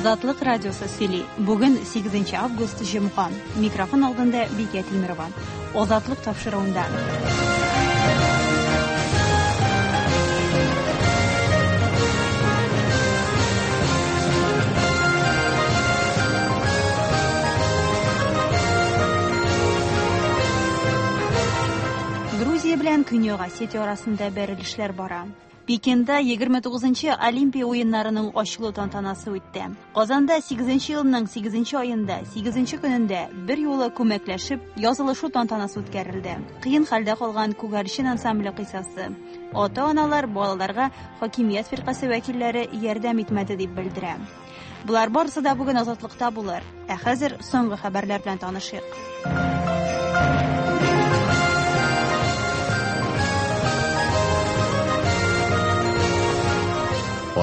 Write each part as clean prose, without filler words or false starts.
Азатлык радиосы сөйли. Бүген 8 август җомга. Микрофон алдында Бикә Тимерова. Азатлык тапшыруында. Грузия белән Көньяк Осетия арасында бәрелешләр бара. Пекинда 29 Олимпия уеннарының ачылу тантанасы үтте. Казанда 8 елның 8 аенда, 8 көнендә бер юлы күмәкләшеп язылышу тантанасы үткәрелде. Кыен хәлдә калган Күгәрчен ансамбле кыйсасы. Ата-аналар балаларга хакимият фиркасе вәкилләре ярдәм итмәде дип белдерә. Болар барысы да бүген Азатлыкта булыр. Ә хәзер соңгы хәбәрләр белән танышыйк.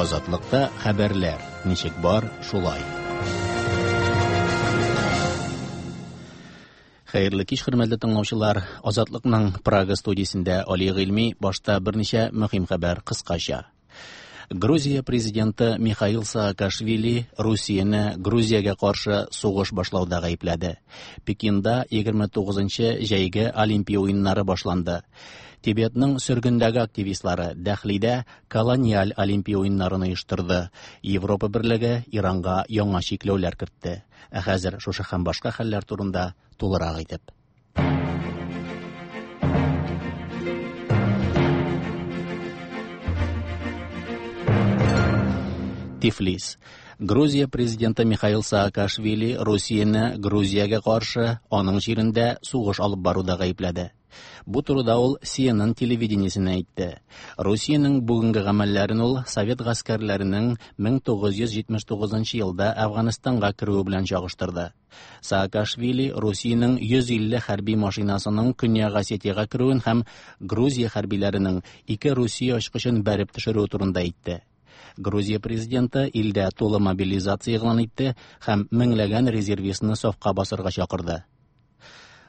Азатлыкта хәбәрләр ничек бар, шулай. Хәерле кич, хөрмәтле тыңлаучылар. Азатлыкның Прага студиясендә Али Гыйльми башта берничә мөһим хәбәр кыскача. Грузия президенты Михаил Саакашвили Русияне Грузиягә каршы сугыш башлауда гаепләде. Пекинда 29-нчы җәйге Олимпия уеннары башланды. Тибетның сөргендәге активистлары Дәхлидә колониаль Олимпия уеннарын оештырды. Европа берлеге Иранга яңа чикләүләр кертте. Ә хәзер шушы һәм башка хәлләр турында тулырак итеп. Тифлис. Грузия президенты Михаил Саакашвили Русияне Грузиягә каршы аның җирендә сугыш алып баруда гаепләде. Бу турыда ул CNN телевидениесенә әйтте. Русиянең бүгенге гамәлләрен ул совет гаскәрләренең 1979 елда Әфганстанга керүе белән чагыштырды. Саакашвили Русиянең 150 хәрби машинасының Көньяк Осетиягә керүен һәм Грузия хәрбиләренең ике Русия очкычын бәреп төшерүе турында әйтте. Грузия президенты илдә тулы мобилизация игълан итте һәм меңләгән резервистны сафка басырга чакырды.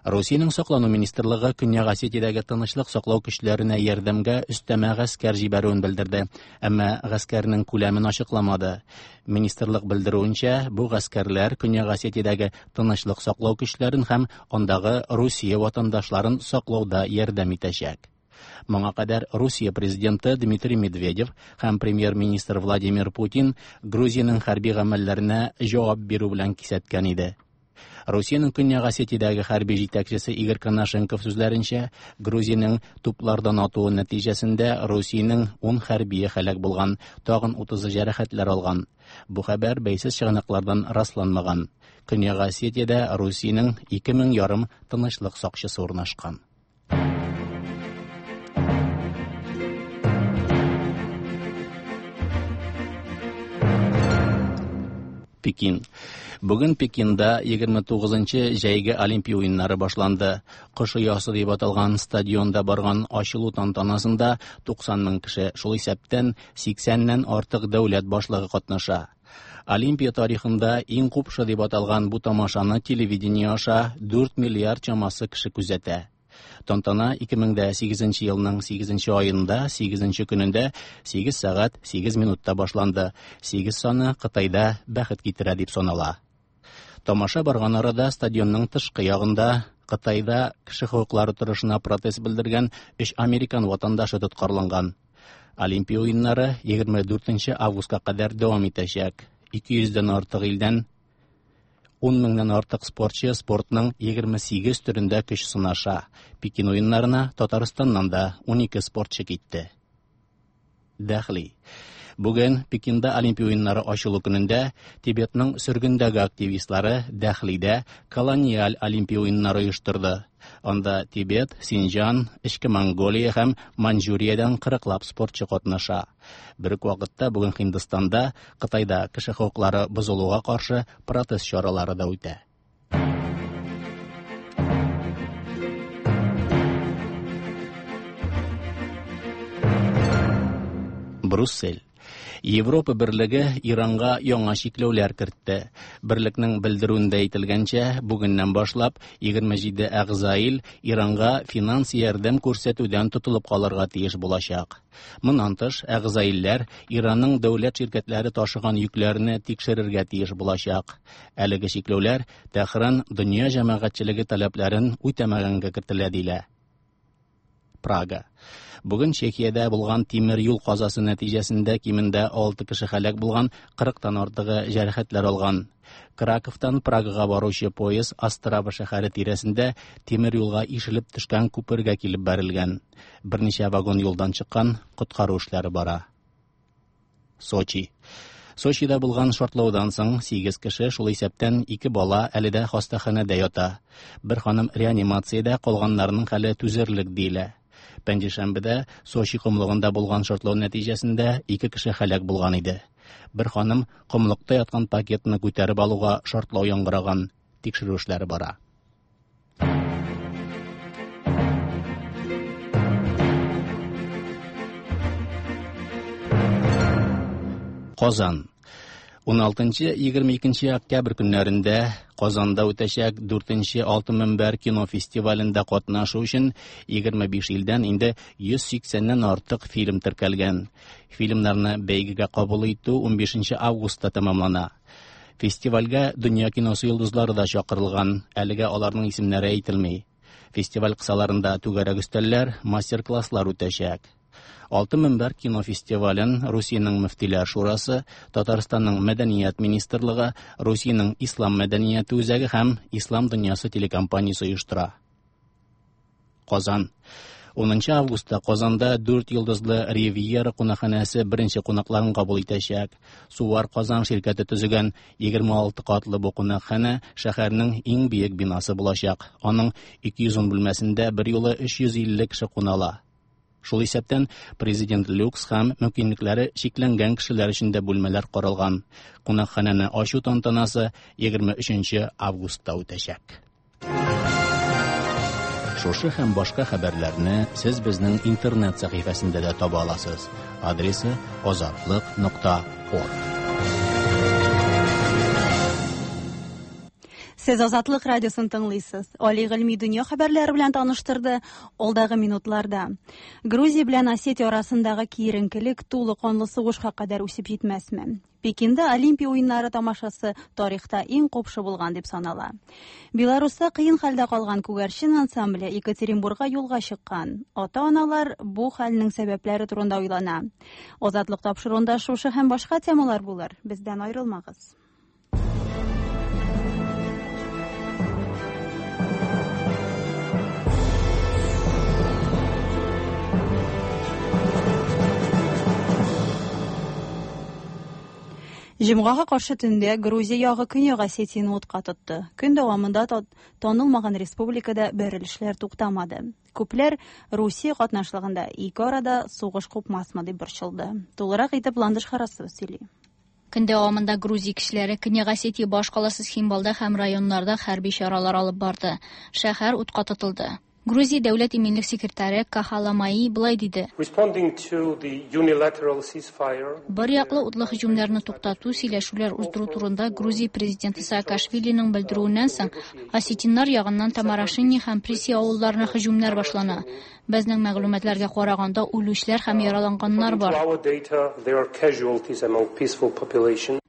Русиянең саклану министрлыгы Көньяк Осетиядәге тынычлык саклау көчләренә ярдәмгә өстәмә гаскәр җибәрүен белдерде, әмма гаскәрнең күләмен ачыкламады. Министрлык белдерүенчә, бу гаскәрләр Көньяк Осетиядәге тынычлык саклау көчләрен һәм андагы Русия ватандашларын саклауда ярдәм итәчәк. Моңа кадәр Русия президенты Дмитрий Медведев һәм премьер-министр Владимир Путин Грузиянең хәрби гамәлләренә җавап бирү белән кисәткән иде. Русиянең Көньяк Осетиядәге хәрби җитәкчесе Игорь Конашенков сүзләренчә, Грузиянең туплардан атуы нәтиҗәсендә Русиянең 10 хәрбие һәлак булган, тагын 30-ы җәрәхәтләр алган. Бу хәбәр бәйсез чыганаклардан расланмаган. Көньяк Осетиядә Русиянең 2000 ярым тынычлык сакчысы урнашкан. Пекин. Бүген Пекинда 29-нчы җәйге Олимпия уеннары башланды. Кош оясы дип аталган стадионда барган ачылу тантанасында 90 мең кеше, шул исәптән 80-нән артык дәүләт башлыгы катнаша. Олимпия тарихында иң купшы дип аталган бу тамашаны телевидение аша 4 миллиард чамасы кеше күзәтә. Тантана 2008 елның 8 аенда 8 көнендә 8 сәгать 8 минутта башланды. 8 саны Кытайда бәхет китерә дип санала. Тамаша барган арада стадионның тышкы ягында Кытайда кеше хокуклары торышына протест белдергән 3 американ ватандашы тоткарланган. Олимпия уеннары 24 августка кадәр дәвам итәчәк. 200дән артык илдән 10 меңнән артык спортчы спортның 28 төрендә көч сынаша. Пекин уеннарына Татарстаннан да 12 спортчы китте. Дәхли. Бүген Пекинда Олимпия уеннары ачылу көнендә Тибетның сөргендәге активистлары Дәхлидә колониаль Олимпия уеннары оештырды. Анда Тибет, Синҗан, Эчке Монголия һәм Маньчжуриядән 40лап спортчы катнаша. Бер үк вакытта бүген Һиндстанда, Кытайда кеше хокуклары бозылуга каршы протест чаралары да үтә. Бруссель. Европа берлеге Иранга яңа чикләүләр кертте. Берлекнең белдерүендә әйтелгәнчә, бүгеннән башлап 27 әгъза ил Иранга финанс ярдәм күрсәтүдән тотылып калырга тиеш булачак. Моннан тыш, әгъза илләр Иранның дәүләт ширкәтләре ташыган йөкләрне тикшерергә тиеш булачак. Әлеге чикләүләр Тәһран дөнья җәмәгатьчелеге таләпләрен үтәмәгәнгә кертелә диелә. Прага. Бүген Чехиядә булган тимер юл казасы нәтиҗәсендә кимендә 6 кеше һәлак булган, 40-тан артыгы җәрәхәтләр алган. Краковтан Прагага баручы поезд Острава шәһәре тирәсендә тимер юлга ишелеп төшкән күпергә килеп бәрелгән. Берничә вагон юлдан чыккан, коткару эшләре бара. Сочи. Сочида булган шартлаудан соң 8 кеше, шул исәптән 2 бала әле дә хастаханәдә ята. Бер ханым реанимациядә, калганнарының хәле түзерлек диелә. Пәнҗешәмбедә Сочи комлыгында булган шартлау нәтиҗәсендә 2 кеше һәлак булган иде. Бер ханым комлыкта яткан пакетны күтәреп алуга шартлау яңгыраган. Тикшерү эшләре бара. Казан. 16-22 октябрь көннәрендә Казанда үтәчәк 4нче Алтын мөнбәр кино фестивалендә катнашу өчен 25 илдән инде 180-нән артык фильм теркәлгән. Фильмнарны бәйгегә кабул итү 15 августта тәмамлана. Фестивальгә дөнья киносы йолдызлары да чакырылган, әлегә аларның исемнәре әйтелми. Фестиваль кысаларында түгәрәк өстәлләр, мастер-класслар үтәчәк. Алтын мөнбәр кино фестивален Русиянең мөфтиләр шурасы, Татарстанның мәдәният министрлыгы, Русиянең ислам мәдәнияте үзәге һәм Ислам дөньясы телекомпаниясе оештыра. Казан. 10 августта Казанда 4 йолдызлы Ривьера кунакханәсе беренче кунакларын кабул итәчәк. Сувар Казан ширкәте төзегән 26 катлы бу кунакханә шәһәрнең иң биек бинасы булачак. Аның 210 бүлмәсендә берьюлы 350 кеше куна ала. Шул исәптән президент люкс һәм мөмкинлекләре чикләнгән кешеләр өчен дә бүлмәләр каралган. Кунакханәне ачу тантанасы 23 августта үтәчәк. Шушы һәм башка хәбәрләрне сез безнең интернет сәхифәсендә дә таба аласыз. Адресы azatliq.org. Сез Азатлык радиосын тыңлыйсыз. Али Гыйльми дөнья хәбәрләре белән таныштырды алдагы минутларда. Грузия белән Осетия арасындагы киеренкелек тулы канлы сугышка кадәр үсеп җитмәсме? Пекинда Олимпия уеннары тамашасы тарихта иң купшы булган дип санала. Беларуста кыен хәлдә калган күгәрчен ансамбле Екатеринбургка юлга чыккан. Ата-аналар бу хәлнең сәбәпләре турында уйлана. Азатлык тапшыруында шушы һәм башка темалар булыр. Бездән аерылмагыз. Җомгага каршы төндә Грузия ягы Көньяк Осетияне утка тотты. Көн дәвамында танылмаган республикада бәрелешләр туктамады. Күпләр Русия катнашлыгында ике арада сугыш купмасмы дип борчылды. Тулырак итеп Ландыш Харасова сөйли. Көн дәвамында Грузия кешеләре Көньяк Осетия башкаласы Цхинвалда һәм районнарда хәрби чаралар алып барды. Шәһәр утка тотылды. Грузия дәүләт иминлек секретаре Кахаламаи былай диде. Бер яклы утлы һөҗүмнәрне туктату, сөйләшүләр уздыру турында Грузия президенты Саакашвилиның белдерүеннән соң, осетиннар ягыннан Тамарашини һәм Приси авылларына һөҗүмнәр башлана. Безнең мәгълүматларга караганда, үлүчеләр һәм яраланганнар бар.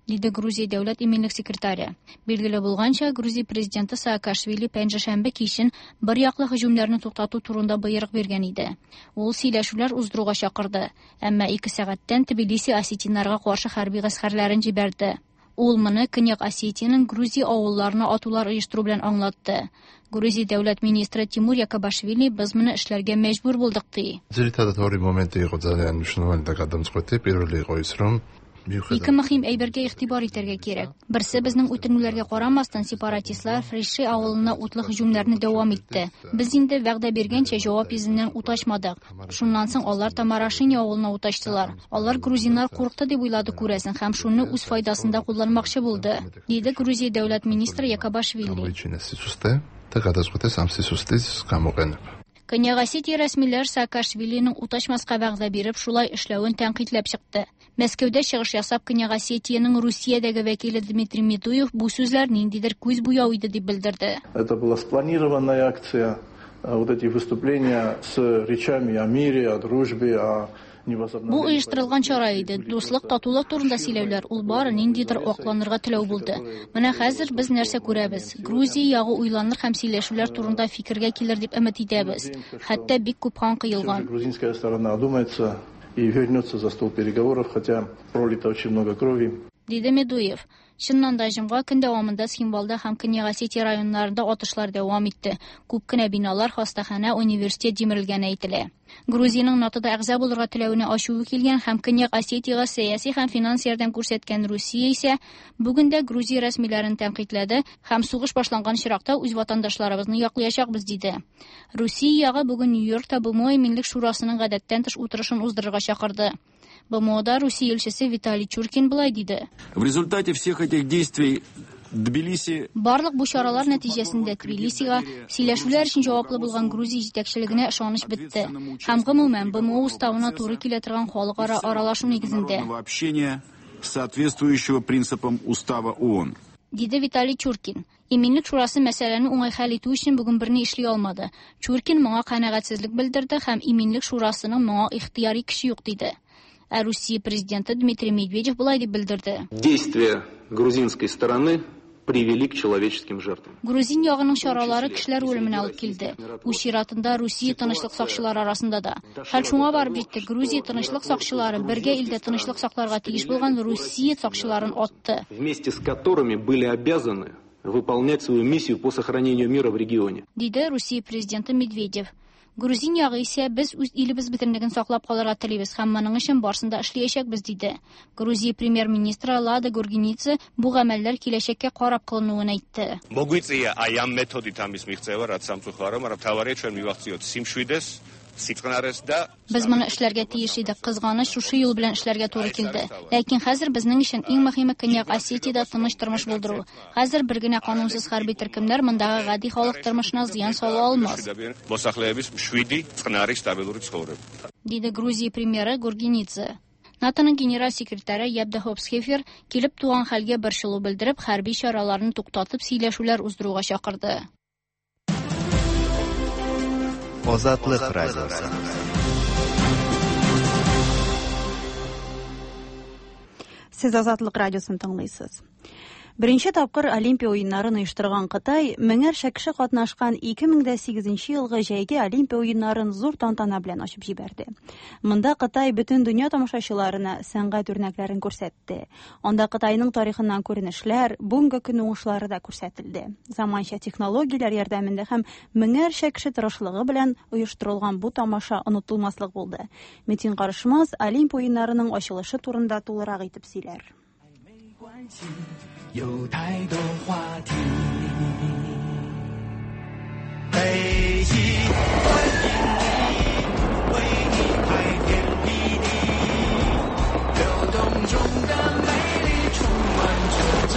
Диде Грузия дәүләт иминлек секретаре. Билгеле булганча, Грузия президенты Саакашвили пәнҗешәмбе кичен бер яклы һөҗүмнәрне туктату турында боерык биргән иде. Ул сөйләшүләр уздыруга чакырды, әмма 2 сәгатьтән Тбилиси осетиннарга каршы хәрби гаскәрләрен җибәрде. Ул моны Көньяк Осетиянең Грузия авылларына атулар оештыру белән аңлатты. Грузия дәүләт министры Тимур Якобашвили без моны эшләргә мәҗбүр булдык ди. Ძირითადად ორი მომენტი იყო ძალიან მნიშვნელოვანი და გადამწყვეტი. პირველი იყო ის, რომ Ике мөһим әйбергә игътибар итәргә кирәк. Берсе, безнең үтенүләргә карамастан, сепаратистлар Фриши авылына утлы һөҗүмнәрне дәвам итте. Без инде вәгъдә биргәнчә җавап йөзеннән ут ачмадык. Шуннан соң алар Тамарашини авылына ут ачтылар. Алар грузиннар курыкты дип уйлады күрәсең һәм шуны үз файдасында кулланмакчы булды, диде Грузия дәүләт министры Якобашвили. გამოიჩინეს სისუსტე და გადაწყვეტეს ამ სისუსტის გამოყენება. Көньяк Осетия рәсмиләр Саакашвилиның ут ачмаска вәгъдә биреп, шулай эшләвен тәнкыйтьләп чыкты. Мәскәүдә чыгыш ясап, Көньяк Осетиянең Русиядәге вәкиле Дмитрий Медуев бу сүзләр ниндидер күз буяу иде дип белдерде. Это была спланированная акция, вот эти выступления с речами о мире, о дружбе, о Бу оештырылган чара иде. Дуслык, татулык турында сөйләүләр, ул бары ниндидер акланырга теләү булды. Менә хәзер без нәрсә күрәбез? Грузия ягы уйланыр һәм сөйләшүләр турында фикергә килер дип өмет итәбез. Хәтта бик күп кан коелган. Грузинская сторона одумается и вернется за стол переговоров, хотя пролито очень много крови. Диде Медуев. Чыннан да, җомга көн дәвамында Цхинвалда һәм Көньяк Осетия районнарында атышлар дәвам итте. Күп кенә биналар, хастаханә, университет җимерелгәне әйтелә. Грузиянең НАТОда әгъза булырга теләвенә ачуы килгән һәм Көньяк Осетиягә сәяси һәм финанс ярдәм күрсәткән Русия исә бүген дә Грузия рәсмиләрен тәнкыйтьләде һәм сугыш башланган очракта үз ватандашларыбызны яклаячакбыз диде. Русия ягы бүген Нью-Йоркта БМО Иминлек шурасының гадәттән тыш утырышын уздырырга чакырды. БМОда Русия илчесе Виталий Чуркин болай диде. В результате всех этих действий Тбилиси Барлык бу чаралар нәтиҗәсендә Тбилисига сөйләшүләр өчен җаваплы булган Грузия җитәкчелегенә ышаныч бетте. Һәм гомумән БМО уставына туры килә торган халыкара аралашу нигезендә. Общения, соответствующего принципам устава ООН. Диде Виталий Чуркин. Иминлек шурасы мәсьәләне уңай хәл итү өчен бүген берни эшли алмады. Чуркин моңа канәгатьсезлек белдерде һәм Иминлек шурасының моңа ихтыяри көче юк диде. Ә Русия президенты Дмитрий Медведев болай дип белдерде. Действия грузинской стороны привели к человеческим жертвам. Грузин ягының чаралары кешеләр үлеменә алып килде. Үз чиратында Русия тынычлык сакчылары арасында да. Хәл шуңа барып җитте. Грузия тынычлык сакчылары бергә илдә тынычлык сакларга тиеш булган Русия сакчыларын атты. Вместе с которыми были обязаны выполнять свою миссию по сохранению мира в регионе. Диде Русия президенты Медведев. Грузин ягы исә без үз илебез бөтенлеген саклап калырга телибез һәм моның өчен барысын да эшләячәкбез диде. Грузия премьер-министры Лада Гургенидзе бу гамәлләр киләчәккә карап кылынуын әйтте. Მოგვიწია აი ამ მეთოდით ამის მიღწევა, რაც სამწუხარო, მაგრამ მთავარია ჩვენ მივახციოთ სიმშვიდეს, სიწყნარეს და Без моны эшләргә тиеш идек. Кызганыч, шушы юл белән эшләргә туры килде. Ләкин хәзер безнең өчен иң мөһиме Көньяк Осетиядә тыныч тормыш булдыру. Хәзер бер генә канунсыз хәрби төркемнәр мондагы гади халык тормышына зыян сала алмас. მოსახლეების მშვიდი, წყნარი, სტაბილური ცხოვრება. Диде Грузия премьеры Гургенидзе. НАТОның генераль секретаре Яп де Хоп Схефер килеп туган хәлгә борчылу белдереп, хәрби чараларны туктатып сөйләшүләр уздыруга чакырды. Озатлык радиосы. Сез Азатлык радиосын тыңлыйсыз. Беренче тапкыр Олимпия уеннарын оештырган Кытай меңәрчә кеше катнашкан 2008 елгы җәйге Олимпия уеннарын зур тантана белән ачып җибәрде. Монда Кытай бөтен дөнья тамашачыларына сәнгать үрнәкләрен күрсәтте. Анда Кытайның тарихыннан күренешләр, бүгенге көн уңышлары да күрсәтелде. Заманча технологияләр ярдәмендә һәм меңәрчә кеше тырышлыгы белән оештырылган бу тамаша онытылмаслык булды. Метин Карышмаз Олимпия уеннарының ачылышы турында тулырак итеп сөйләр. 有太多话题。北极欢迎你，为你开天辟地，流动中的美丽充满着朝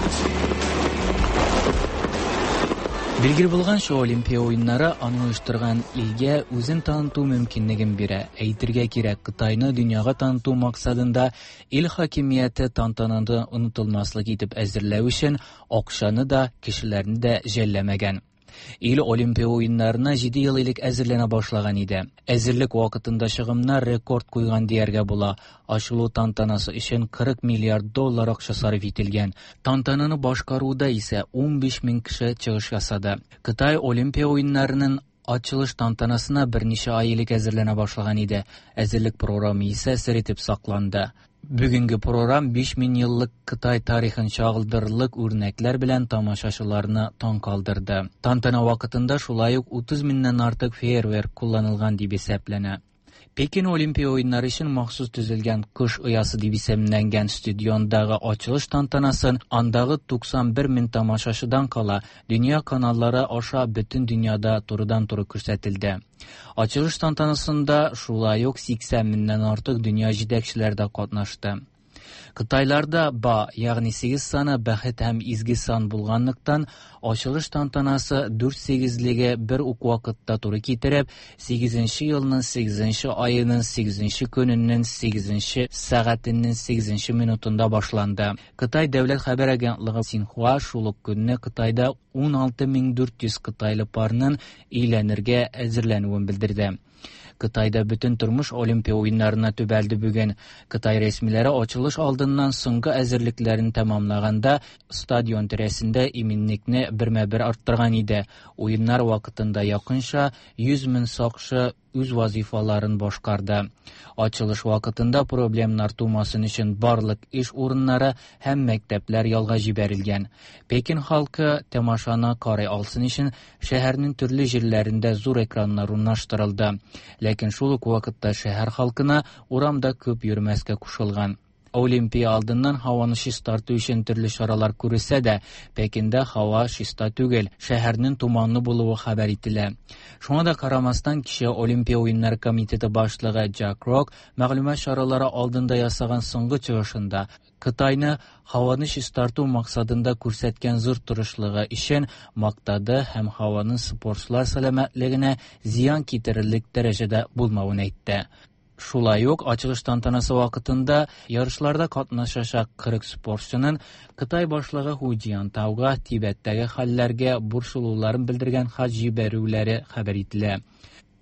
气。 Билгеле булганча, Олимпия уеннары аны оештырган илгә үзен таныту мөмкинлеген бирә. Әйтергә кирәк, Кытайны дөньяга таныту максатында ил хакимияте тантананы онытылмаслык итеп әзерләү өчен акчаны да, кешеләрне дә жәлләмәгән. Ил Олимпия уеннарына 7 ел элек әзерләнә башлаган иде. Әзерлек вакытында чыгымнар рекорд куйган дияргә була. Ачылу тантанасы өчен 40 миллиард доллар акча сарыф ителгән. Тантананы башкаруда исә 15 мең кеше чыгыш ясады. Кытай Олимпия уеннарының ачылыш тантанасына берничә ай элек әзерләнә башлаган иде. Әзерлек програмы исә сер итеп сакланды. Бүгенге программ 5000 еллык Кытай тарихын чагылдырырлык үрнәкләр белән тамашачыларны таң калдырды. Тантана вакытында шулай ук 30 меңнән артык фейерверк кулланылган дип исәпләнә. Пекин Олимпия уеннары өчен махсус төзелгән Кыш оясы дип исемләнгән стадиондагы ачылыш тантанасын андагы 91 мең тамашачыдан кала дөнья каналлары аша бөтен дөньяда турыдан-туры күрсәтелде. Ачылыш тантанасында шулай ук 80 меңнән артык дөнья җитәкчеләре дә катнашты. Кытайларда ба, ягъни 8 саны бәхет һәм изге сан булганлыктан, ачылыш тантанасы дүрт сигезлеге бер үк вакытта туры китереп, 8 елның 8 аеның 8 көненең 8 сәгатенең 8 минутында башланды. Кытай дәүләт хәбәр агентлыгы Синхуа шул ук көнне Кытайда 16400 кытайлы парның өйләнергә әзерләнүен белдерде. Кытайда бөтен тормыш Олимпия уеннарына төбәлде бүген. Кытай рәсмиләре ачылыш алдыннан соңгы әзерлекләрен тәмамлаганда стадион тирәсендә иминлекне бермә-бер арттырган иде. Уеннар вакытында якынча 100 мең сакчы үз вазифаларын башкарды. Ачылыш вакытында проблемнар тумасын өчен барлык эш урыннары һәм мәктәпләр ялга җибәрелгән. Пекин халкы тамашаны карый алсын өчен шәһәрнең төрле җирләрендә зур экраннар урнаштырылды. Ләкин шул ук вакытта шәһәр халкына урамда күп йөрмәскә кушылган. Олимпия алдыннан һаваны чистарту өчен төрле чаралар күрелсә дә, Пекинда һава чиста түгел, шәһәрнең туманлы булуы хәбәр ителә. Шуңа да карамастан, кичә Олимпия уеннары комитеты башлыгы Джак Рок мәгълүмат чаралары алдында ясаган соңгы чыгышында Кытайны һаваны чистарту максатында күрсәткән зур тырышлыгы өчен мактады һәм һаваның спортчылар сәламәтлегенә зыян китерерлек дәрәҗәдә булмавын әйтте. Шулай ук ачылыш тантанасы вакытында ярышларда катнашачак 40 спортчының Кытай башлыгы Ху Цзиньтауга Тибеттәге хәлләргә борчылуларын белдергән хат җибәрүләре хәбәр ителә.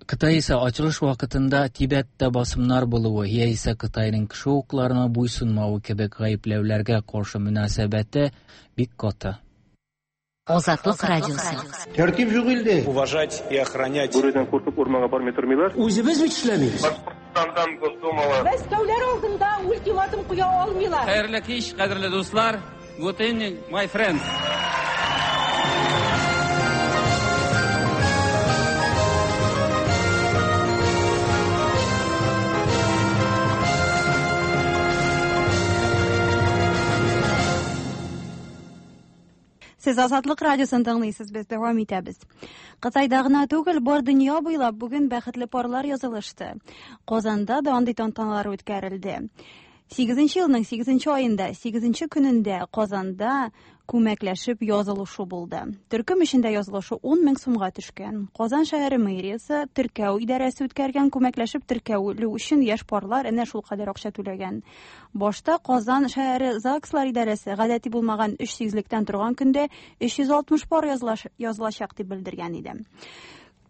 Кытай исә ачылыш вакытында Тибеттә басымнар булуы яисә Кытайның кеше хокукларына буйсынмавы кебек гаепләүләргә каршы мөнәсәбәте бик каты. Азатлык радиосы. Тәртип юк илдә. Уважать и охранять. Бүредән куркып урманга бармый тормыйлар. Үзебез бит эшләмибез. Башкортстандан Госдумалы. Мәскәүләр алдында ультиматум куя алмыйлар. Хәерле кич, кадерле дуслар. Good evening, my friends. Сез Азатлык радиосын тыңлыйсыз, без дәвам итәбез. Кытайда гына түгел, бар дөнья буйлап бүген бәхетле парлар язылышты. Казанда да андый тантаналар үткәрелде. 8 елның 8 аенда, 8 көнендә Казанда күмәкләшеп язылышу булды. Төркем эчендә язылышу 10 мең сумга төшкән. Казан шәһәре мэриясе теркәү идарәсе үткәргән күмәкләшеп теркәүлү өчен яшь парлар әнә шул кадәр акча түләгән. Башта Казан шәһәре ЗАГСлар идарәсе гадәти булмаган 3 сигезлектән торган көндә 360 пар язылачак дип белдергән иде.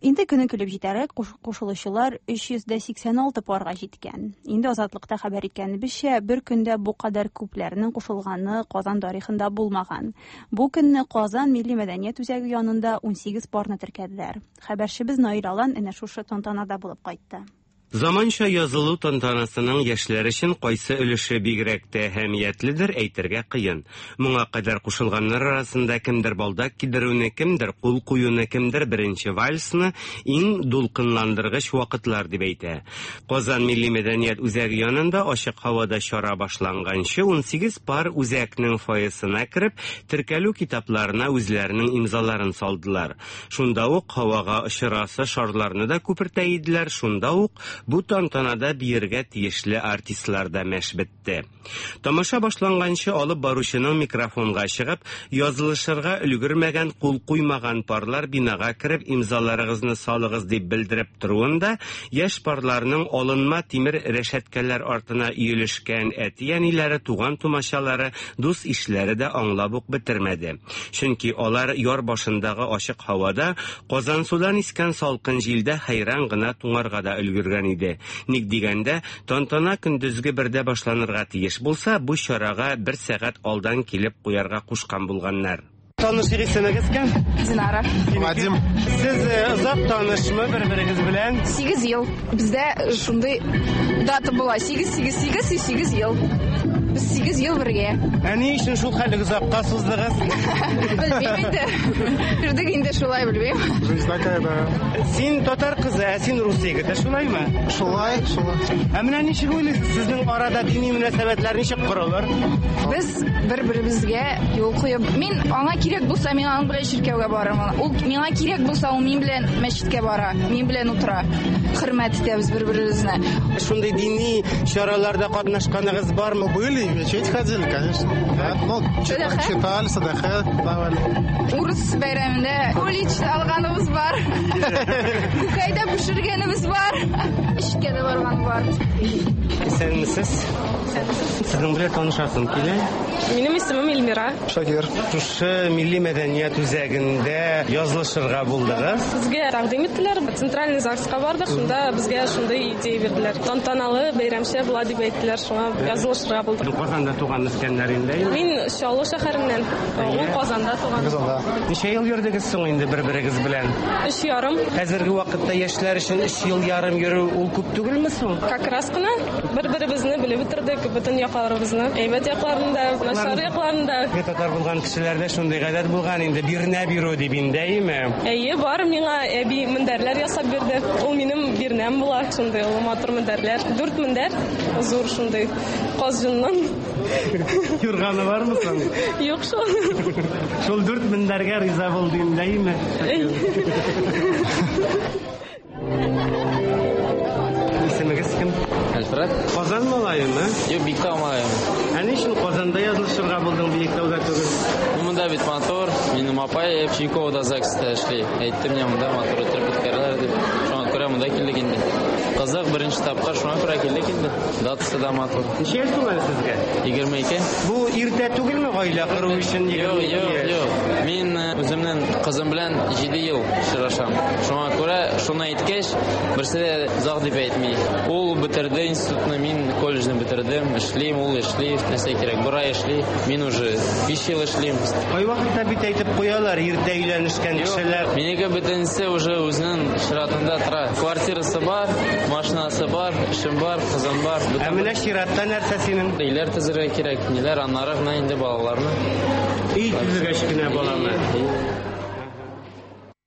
Инде көне килеп җитәрәк кушылучылар 386 парга җиткән. Инде Азатлыкта хәбәр иткәнебезчә, бер көндә бу кадәр күпләрнең кушылганы Казан тарихында булмаган. Бу көнне Казан милли мәдәният үзәге янында 18 парны теркәделәр. Хәбәрчебез Наил Алан әнә шушы тантанада булып кайтты. Заманча язылу тантанасының яшьләр өчен кайсы өлеше бигрәк тә әһәмиятледер әйтергә кыен. Моңа кадәр кушылганнар арасында кемдер балдак кидерүне, кемдер кул куюны, кемдер беренче вальсны иң дулкынландыргыч вакытлар дип әйтә. Казан милли мәдәният үзәге янында ачык һавада чара башланганчы 18 пар үзәкнең фойесына кереп, теркәлү китапларына үзләренең имзаларын салдылар. Шунда ук һавага очырасы шарларны да күпертә иделәр, шунда ук бу тантанада биергә тиешле артистлар да мәш бетте. Тамаша башланганчы алып баручының микрофонга чыгып, язылышырга өлгермәгән, кул куймаган парлар бинага кереп имзаларыгызны салыгыз дип белдереп торуын да, яшь парларның алынма тимер рәшәткәләр артына өелешкән әти-әниләре, туган тумачалары, дус ишләре дә аңлап ук бетермәде. Чөнки алар яр башындагы ачык һавада Казансудан искән салкын җилдә хәйран гына туңарга да өлгергән иде. Ник дигәндә, тантана көндезге бердә башланырга тиеш булса, бу чарага бер сәгать алдан килеп куярга кушкан булганнар. Танышыйк, исемегез кем? Динара. Вадим. Сез озак танышмы бер-берегез белән? 8 ел. Бездә шундый дата була. 8 8 8 и 8 ел. Без 8 ел бергә. Ә ни өчен шул хәтле озакка суздыгыз? Белмим инде. Йөрдек инде шулай, белмим. Жизнь такая, да. Син татар кызы, ә син рус егете, шулаймы? Шулай, шулай. Ә менә ничек уйлыйсыз, сезнең арада дини мөнәсәбәтләр ничек корылыр? Без бер-беребезгә юл куеп, мин аңа кирәк булса, мин аның белән чиркәүгә барырмын. Ул миңа кирәк булса, ул мин белән мәчеткә бара, мин белән утыра. Хөрмәт итәбез бер-беребезне. Шундый дини чараларда катнашканыгыз бармы? Были. Ходили, в мечеть ходили, конечно. Да, ну, читали, садаха давали. Урыс бәйрәмендә кулич алганыбыз бар. Күкәй дә пешергәнебез бар. Эшкә дә барган бар. Исәнмесез. Сезнең белән танышасым килә. Минем исемем Эльмира. Шакир. Шушы милли мәдәният үзәгендә язылышырга булдыгыз. Безгә тәкъдим иттеләр. Центральный ЗАГСка бардык, шунда безгә шундый идея бирделәр. Тантаналы бәйрәмчә була дип әйттеләр, шуңа язылышырга булдык. Казанда туган үскәннәр инде. Мин Чаллы шәһәреннән. Ул Казанда туган. Казанда. Ничә ел йөрдегез соң инде бер-берегез белән? 3,5. Хәзерге вакытта яшьләр өчен 3 ел ярым йөрү ул күп түгелме соң? Как раз кына бер-беребезне белеп бетердек, бөтен якларыбызны. Әйбәт якларын да, начар якларын да. Татар булган кешеләрдә шундый гадәт булган инде, бирнә бирү дип инде, әйеме? Әйе, бар, миңа әби мендәрләр ясап бирде. Ул минем бирнәм була, шундый ул матур мендәрләр. 4 мендәр, зур шундый каз җоннан. Юрганы бармы соң? Юк шул. Шул 4 мендәргә риза булды инде, әйеме? Исемегез кем? Альфред. Казан малаемы? Юк, Биектау малаем. Ә ни өчен Казанда язылышырга булдың, Биектауда түгел? Ну, монда бит матур. Минем апай Чайковода ЗАГСта эшли. Әйтте миңа, монда матур итеп үткәрәләр дип. Шуңа күрә монда килдек инде. Кызык, беренче тапкыр шуңа күрә килдек инде. Датасы да матур. Ничә яшь тулган сезгә? 22. Бу иртә түгелме гаилә кору өчен? Юк, юк, юк. Мин үземнең кызым белән 7 ел очрашам. Шуңа күрә шуны әйткәч, берсе дә озак дип әйтми. Ул бетерде институтны, мин колледжны бетердем, эшлим, ул эшли, нәрсә кирәк, бер ай эшли, мин уже 5 ел эшлим. Кайвакытта бит әйтеп куялар, иртә өйләнешкән кешеләр. Минеке бөтенесе уже үзенең чиратында тора. Квартирасы бар, машинасы бар, эшем бар, кызым бар. Ә менә чиратта нәрсә синең? Өйләр төзергә кирәк, ниләр, аннары гына инде балаларны. Өй төзегәч кенә баланы.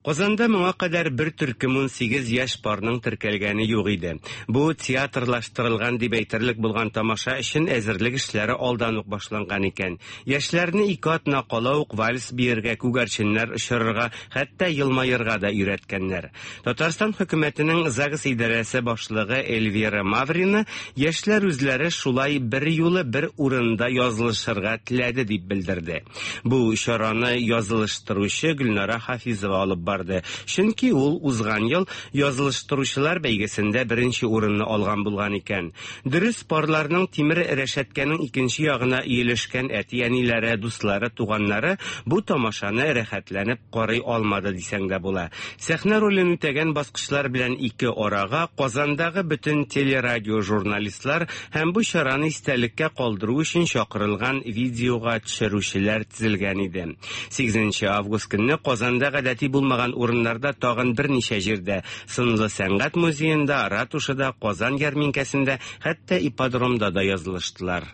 Казанда моңа кадәр бер төркем 18 яшь парның теркәлгәне юк иде. Бу театрлаштырылган дип әйтерлек булган тамаша өчен әзерлек эшләре алдан ук башланган икән. Яшьләрне 2 атна кала ук вальс биергә, күгәрченнәр очырырга, хәтта елмаерга да өйрәткәннәр. Татарстан хөкүмәтенең ЗАГС идарәсе башлыгы Эльвира Маврина яшьләр үзләре шулай бер юлы бер урында язылышырга теләде дип белдерде. Бу чараны язылыштыручы Гөлнара Хафизова алып барды. Чөнки ул узган ел язылыштыручылар бәйгесендә беренче урынны алган булган икән. Дөрес, парларның тимер рәшәткәнең икенче ягына иелешкән әти-әниләре, дуслары, туганнары бу тамашаны рәхәтләнеп карый алмады дисәң дә була. Сәхнә ролен үтәгән баскычлар белән ике арага Казандагы бөтен телерадио журналистлар һәм бу чараны истәлеккә калдыру өчен чакырылган видеога төшерүчеләр тезелгән иде. 8 август көнне Казанда гадәти булмаган урыннарда тагын берничә җирдә, Сынлы сәнгать музеенда, ратушада, Казан ярминкәсендә, хәтта ипподромда да язылыштылар.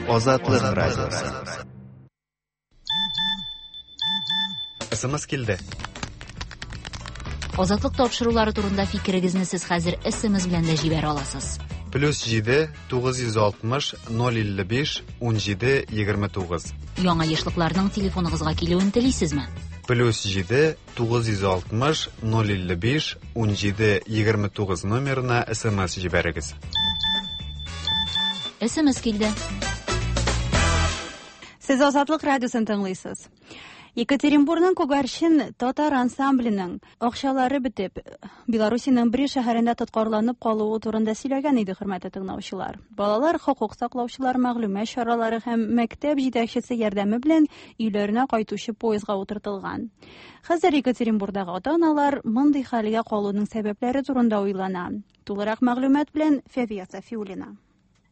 Азатлык радиосы. СМС килде. Азатлык тапшырулары турында фикерегезне сез хәзер СМС белән дә җибәрә аласыз. Плюс 7 960 055 17 29. Яңа ешлыкларның телефоныгызга килүен телисезме? Плюс 7 960 055 17 29 номерына СМС җибәрегез. СМС килде. Сез Азатлык радиосын тыңлыйсыз. Екатеринбургның Күгәрчен татар ансамбленең акчалары бетеп, Белоруссиянең Брест шәһәрендә тоткарланып калуы турында сөйләгән иде хөрмәтле тыңлаучылар. Балалар хокук саклаучылар, мәгълүмат чаралары һәм мәктәп җитәкчесе ярдәме белән өйләренә кайтучы поездга утыртылган. Хәзер Екатеринбургдагы ата-аналар мондый хәлгә калуның сәбәпләре турында уйлана. Тулырак мәгълүмат белән Фәвия Сафиуллина.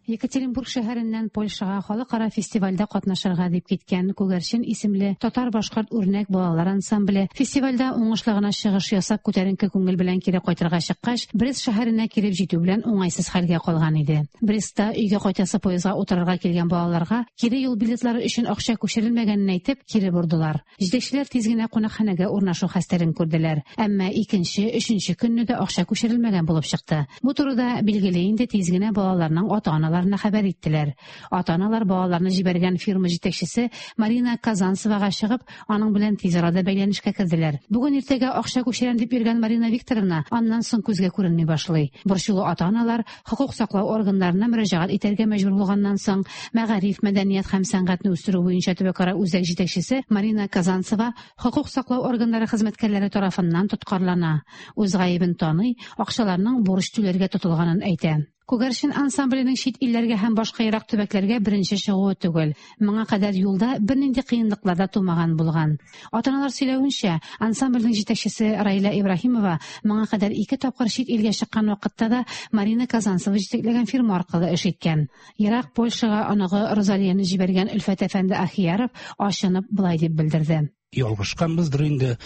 Екатеринбург шәһәреннән Польшага халыкара фестивальдә катнашырга дип киткән Күгәрчен исемле татар-башкорт үрнәк балалар ансамбле фестивальдә уңышлы гына чыгыш ясап күтәренке күңел белән кире кайтырга чыккач, Брест шәһәренә килеп җитү белән уңайсыз хәлгә калган иде. Брестта өйгә кайтасы поездга утырырга килгән балаларга кире юл билетлары өчен акча күчерелмәгәнен әйтеп, кире бордылар. Җитәкчеләр тиз генә кунакханәгә урнашу хәстәрен күрделәр. Әмма икенче, өченче көнне дә акча күчерелмәгән булып чыкты. Бу турыда билгеле инде тиз генә балаларның ата-аналары ата-аналарына хәбәр иттеләр. Ата-аналар балаларны җибәргән фирма җитәкчесе Марина Казанцевага чыгып, аның белән тиз арада бәйләнешкә керделәр. Бүген иртәгә акча күчерәм дип йөргән Марина Викторовна аннан соң күзгә күренми башлый. Борчулы ата-аналар хокук саклау органнарына мөрәҗәгать итәргә мәҗбүр булганнан соң, мәгариф, мәдәният һәм сәнгатьне үстерү буенча төбәкара үзәк җитәкчесе Марина Казанцева хокук саклау органнары хезмәткәрләре тарафыннан тоткарлана. Үз гаебен таный, акчаларның бурыч түләргә тотылганын әйтә. Күгәрчен ансамбленең чит илләргә һәм башка ерак төбәкләргә беренче чыгуы түгел. Моңа кадәр юлда бернинди кыенлыклар да тумаган булган. Ата-аналар сөйләвенчә, ансамбльнең җитәкчесе Раилә Ибраһимова моңа кадәр ике тапкыр чит илгә чыккан вакытта да Марина Казанцева җитәкләгән фирма аркылы эш иткән. Ерак Польшага оныгы Розалияне җибәргән Өлфәт әфәнде Ахияров ачынып болай дип белдерде. Ялгышканбыздыр инде,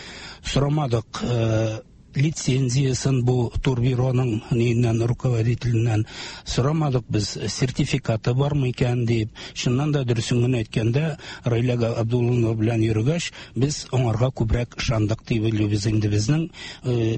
сорамадык лицензиясын бу турбюроның ниеннән, руководителеннән сорамадык без, сертификаты бармы икән дип. Чыннан да дөресен генә әйткәндә, Раилә Габдулловна белән йөргәч, без аңарга күбрәк ышандык дип уйлыйбыз инде. Безнең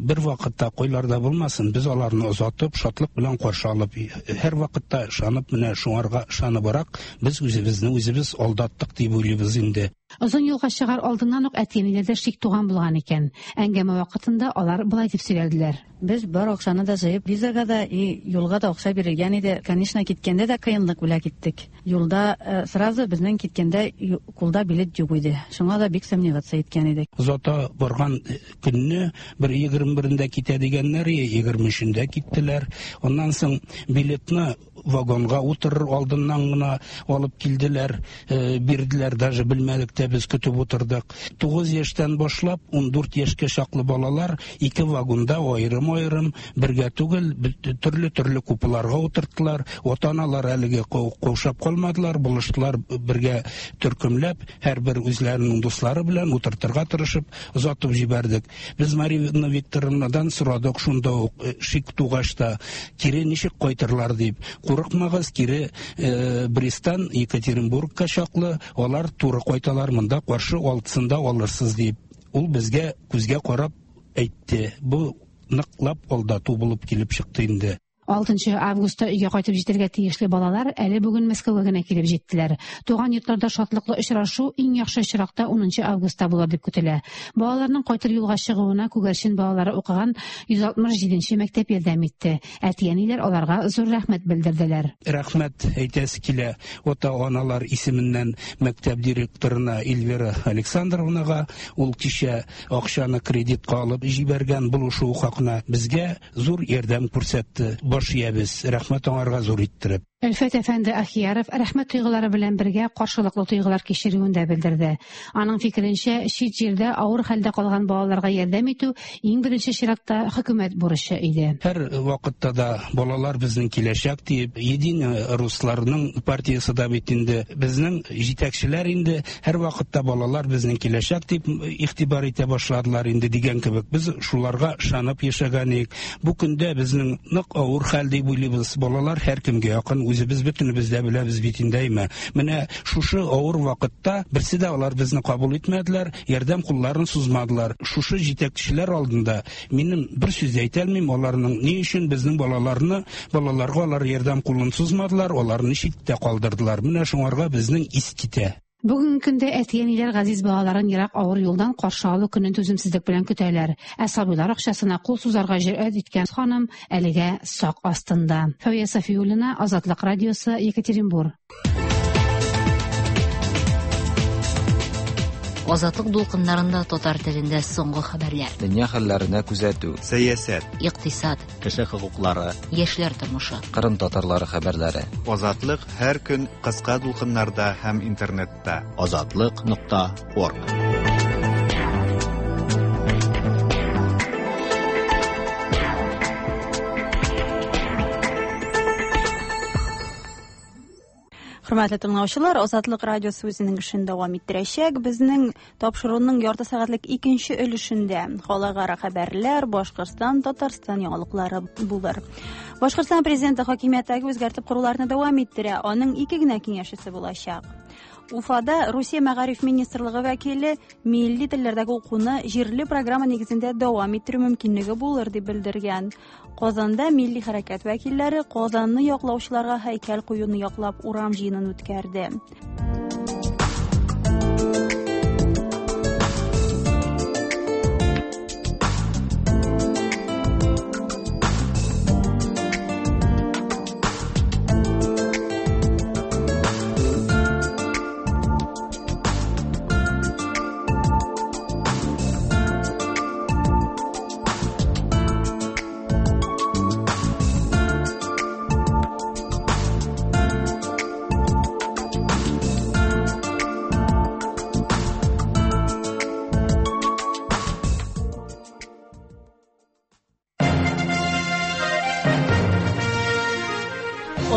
бер вакытта кайларда булмасын, без аларны озатып, шатлык белән каршы алып, һәрвакытта ышанып, менә шуңарга ышаныбрак, без үзебезне үзебез алдаттык дип уйлыйбыз инде. Озын юлга чыгар алдыннан ук әти-әниләрдә шик туган булган икән. Әңгәмә вакытында алар болай дип сөйләделәр. Без бар акчаны да җыеп, визага да и юлга да акча бирелгән иде. Конечно, киткәндә дә кыенлык белән киттек. Юлда сразу безнең киткәндә кулда билет юк иде. Шуңа да бик сомневаться иткән идек. Озата барган көнне бер 21-ндә китә дигәннәр, 23-ндә киттеләр. Аннан соң билетны вагонга утырыр алдыннан гына алып килделәр, бирделәр, даже белмәдек тә, без көтеп утырдык. 9 яшьтән башлап 14 яшькә чаклы балалар ике вагонда аерым-аерым, бергә түгел, төрле-төрле купеларга утырттылар. Ата-аналар әлеге каушап калмадылар, булыштылар бергә төркемләп, һәрбер үзләренең дуслары белән утыртырга тырышып, озатып җибәрдек. Без Марина Викторовнадан сорадык шунда ук, шик тугач та, кире ничек кайтырлар дип. Курыкмагыз, кире Бресттан Екатеринбургка чаклы алар туры кайталар, монда каршы алтысында алырсыз дип. Ул безгә күзгә карап әйтте. Бу ныклап алдату булып килеп чыкты инде. 6 августта өйгә кайтып җитәргә тиешле балалар әле бүген Мәскәүгә генә килеп җиттеләр. Туган йортларда шатлыклы очрашу иң яхшы очракта 10 августта булыр дип көтелә. Балаларның кайтыр юлга чыгуына Күгәрчен балалары укыган 167 мәктәп ярдәм итте. Әти-әниләр аларга зур рәхмәт белдерделәр. Рәхмәт әйтәсе килә ата-аналар исеменнән мәктәп директорына Эльвира Александровнага. Ул кичә акчаны кредитка алып җибәргән булышу хакына безгә зур ярдәм күрсәтте. Баш иябез, рәхмәт аңарга зур иттереп. Өлфәт әфәнде Ахияров рәхмәт тойгылары белән бергә каршылыклы тойгылар кичерүен дә белдерде. Аның фикеренчә, чит җирдә авыр хәлдә калган балаларга ярдәм итү иң беренче чиратта хөкүмәт бурычы иде. Һәр вакытта да балалар безнең киләчәк диеп, Единый русларның партиясе дә бит инде безнең җитәкчеләр инде һәр вакытта балалар безнең киләчәк дип игътибар итә башладылар инде дигән кебек. Без шуларга ышанып яшәгән идек. Бу көндә безнең нык авыр хәл дип уйлыйбыз. Балалар һәркемгә якын, үзебез бөтенебез дә беләбез бит инде, әйме. Менә шушы авыр вакытта берсе дә алар безне кабул итмәделәр, ярдәм кулларын сузмадылар. Шушы җитәкчеләр алдында минем бер сүз дә әйтә алмыйм, аларның ни өчен безнең балаларны, балаларга алар ярдәм кулын сузмадылар, аларны читтә калдырдылар. Менә шуңарга безнең ис китә. Бүгенге көндә әти-әниләр газиз балаларын ерак авыр юлдан каршы алу көнен түземсезлек белән көтәләр. Ә сабыйлар акчасына кул сузарга җөрьәт иткән ханым әлегә сак астында. Фәүя Сафиуллина, Азатлык радиосы, Екатеринбург. Азатлык дулкыннарында татар телендә соңгы хәбәрләр. Дөнья хәлләренә күзәтү. Сәясәт. Икътисад. Кеше хокуклары. Яшьләр тормышы. Кырым татарлары хәбәрләре. Азатлык һәр көн кыска дулкыннарда һәм интернетта. Азатлык.орг. Хөрмәтле тыңлаучылар, Азатлык радиосы үзенең эшен дәвам иттерәчәк. Безнең тапшыруның ярты сәгатьлек икенче өлешендә халыкара хәбәрләр, Башкортстан, Татарстан яңалыклары булыр. Башкортстан президенты хакимияттәге үзгәртеп коруларны дәвам иттерә. Аның ике генә киңәшчесе булачак. Уфада Русия мәгариф министрлыгы вәкиле милли телләрдәге укуны җирле программа нигезендә дәвам иттерү мөмкинлеге булыр дип белдергән. Казанда милли хәрәкәт вәкилләре Казанны яклаучыларга һәйкәл куюны яклап урам җыенын үткәрде.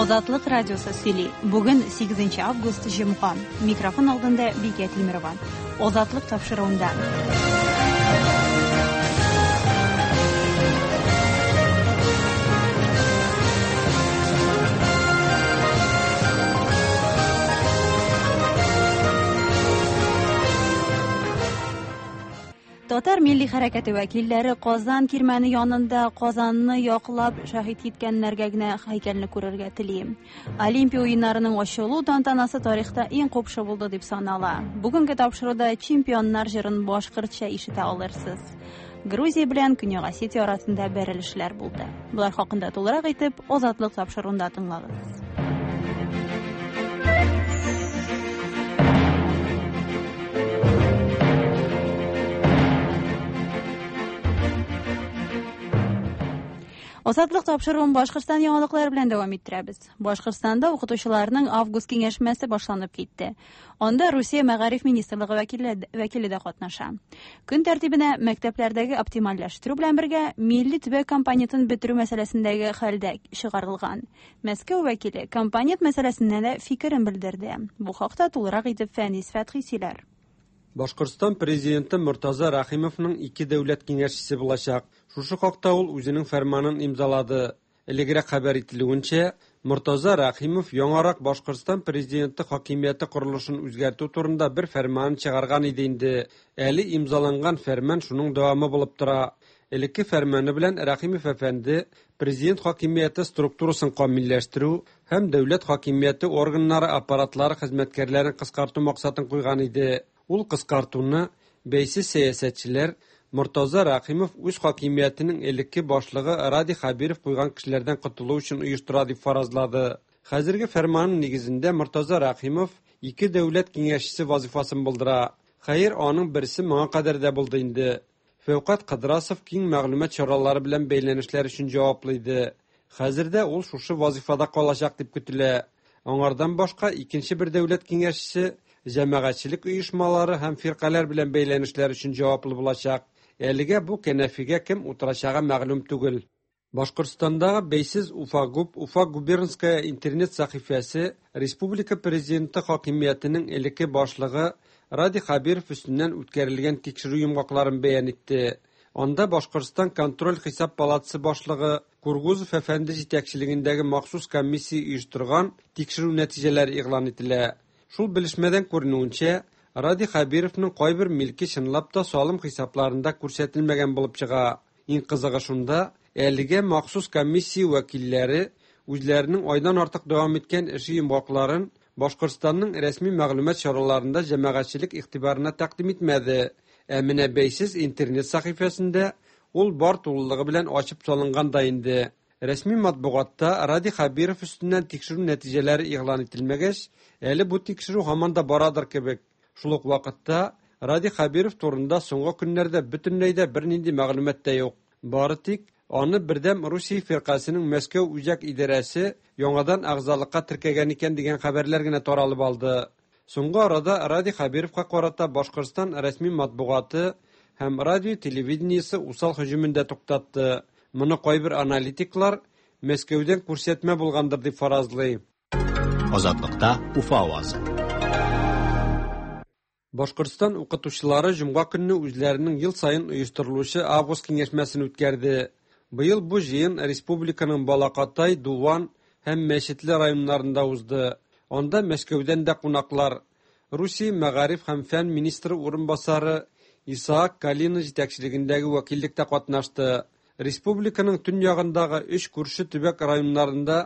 Азатлык радиосы сөйли. Бүген 8 август җомга. Микрофон алдында Бикә Тимерова. Азатлык тапшыруында. Татар милли хәрәкәте вәкилләре Казан кирмәне янында Казанны яклап шәһит киткәннәргә генә һәйкәлне күрергә тели. Олимпия уеннарының ачылу тантанасы тарихта иң купшы булды дип санала. Бүгенге тапшыруда чемпионнар җырын башкортча ишетә алырсыз. Грузия белән Көньяк Осетия арасында бәрелешләр булды. Болар хакында тулырак итеп Азатлык тапшыруында тыңлагыз. Азатлык тапшыруын Башкортстан яңалыклары белән дәвам иттерәбез. Башкортстанда укытучыларның август киңәшмәсе башланып китте. Анда Русия мәгариф министрлыгы вәкиле дә катнаша. Көн тәртибенә мәктәпләрдәге оптимальләштерү белән бергә милли төбәк компонентын бетерү мәсьәләсендәге хәл дә чыгарылган. Мәскәү вәкиле компонент мәсьәләсенә дә фикерен белдерде. Бу хакта тулырак итеп Фәнис Фәтхи сөйләр. Башкортстан президенты Мортаза Рәхимовның ике дәүләт киңәшчесе булачак. Шушы хакта ул үзенең фәрманын имзалады. Элегрәк хәбәр ителүенчә, Мортаза Рәхимов яңарак Башкортстан президенты хакимияте корылышын үзгәртү турында бер фәрман чыгарган иде инде. Әле имзаланган фәрман шуның дәвамы булып тора. Элекке фәрманы белән Рәхимов әфәнде президент хакимияте структурасын камилләштерү һәм дәүләт хакимияте органнары аппаратлары хезмәткәрләрен кыскарту максатын куйган иде. Ул кыскартуны бәйсез сәясәтчеләр Мортаза Рәхимов үз хакимиятенең элекке башлыгы Радий Хәбиров куйган кешеләрдән котылу өчен оештыра дип фаразлады. Хәзерге фәрманның нигезендә Мортаза Рәхимов ике дәүләт киңәшчесе вазифасын булдыра. Хәер, аның берсе моңа кадәр дә булды инде. Фәүкать Кыдрасов киң мәгълүмат чаралары белән бәйләнешләр өчен җаваплы иде. Хәзер дә ул шушы вазифада калачак дип көтелә. Аңардан башка икенче бер дәүләт киңәшчесе җәмәгатьчелек оешмалары һәм фиркаләр белән бәйләнешләр өчен җаваплы булачак. Әлегә бу кәнәфигә кем утырачагы мәгълүм түгел. Башкортстандагы бәйсез Уфагуб, Уфа губернская интернет сәхифәсе республика президенты хакимиятенең элекке башлыгы Радий Хәбиров өстеннән үткәрелгән тикшерү йомгакларын бәян итте. Анда Башкортстан контроль хисап палатасы башлыгы Кургузов әфәнде җитәкчелегендәге махсус комиссия оештырган тикшерү нәтиҗәләре игълан ителә. Шул белешмәдән күренүенчә, Радий Хәбировның кайбер милке чынлап та салым хисапларында күрсәтелмәгән булып чыга. Иң кызыгы шунда, әлегә махсус комиссия вәкилләре үзләренең айдан артык дәвам иткән эше йомгакларын Башкортстанның рәсми мәгълүмат чараларында җәмәгатьчелек игътибарына тәкъдим итмәде. Ә менә бәйсез интернет сәхифәсендә ул бар тулылыгы белән ачып салынган да инде. Рәсми матбугатта Радий Хәбиров өстеннән тикшерү нәтиҗәләре игълан ителмәгәч, әле бу тикшерү һаман да барадыр кебек. Шул ук вакытта Радий Хәбиров турында соңгы көннәрдә бөтенләй дә бернинди мәгълүмат та юк. Бары тик аны Бердәм Русия фиркасының Мәскәү үзәк идарәсе яңадан әгъзалыкка теркәгән икән дигән хәбәрләр генә таралып алды. Соңгы арада Радий Хәбировка карата Башкортстан рәсми матбугаты һәм радио телевидениесе усал һөҗүмен дә туктатты. Моны кайбер аналитиклар Мәскәүдән күрсәтмә булгандыр дип фаразлый. Азатлыкта Уфа авазы. Башкортстан укытучылары җомга көнне үзләренең ел саен оештырылучы август киңәшмәсен үткәрде. Быел бу җыен республиканың Балакатай, Дуван һәм Мәчетле районнарында узды. Анда Мәскәүдән дә кунаклар, Русия мәгариф һәм фән министры урынбасары Исаак Калина җитәкчелегендәге вәкиллек тә катнашты. Республиканың төньягындагы өч күрше төбәк районнарында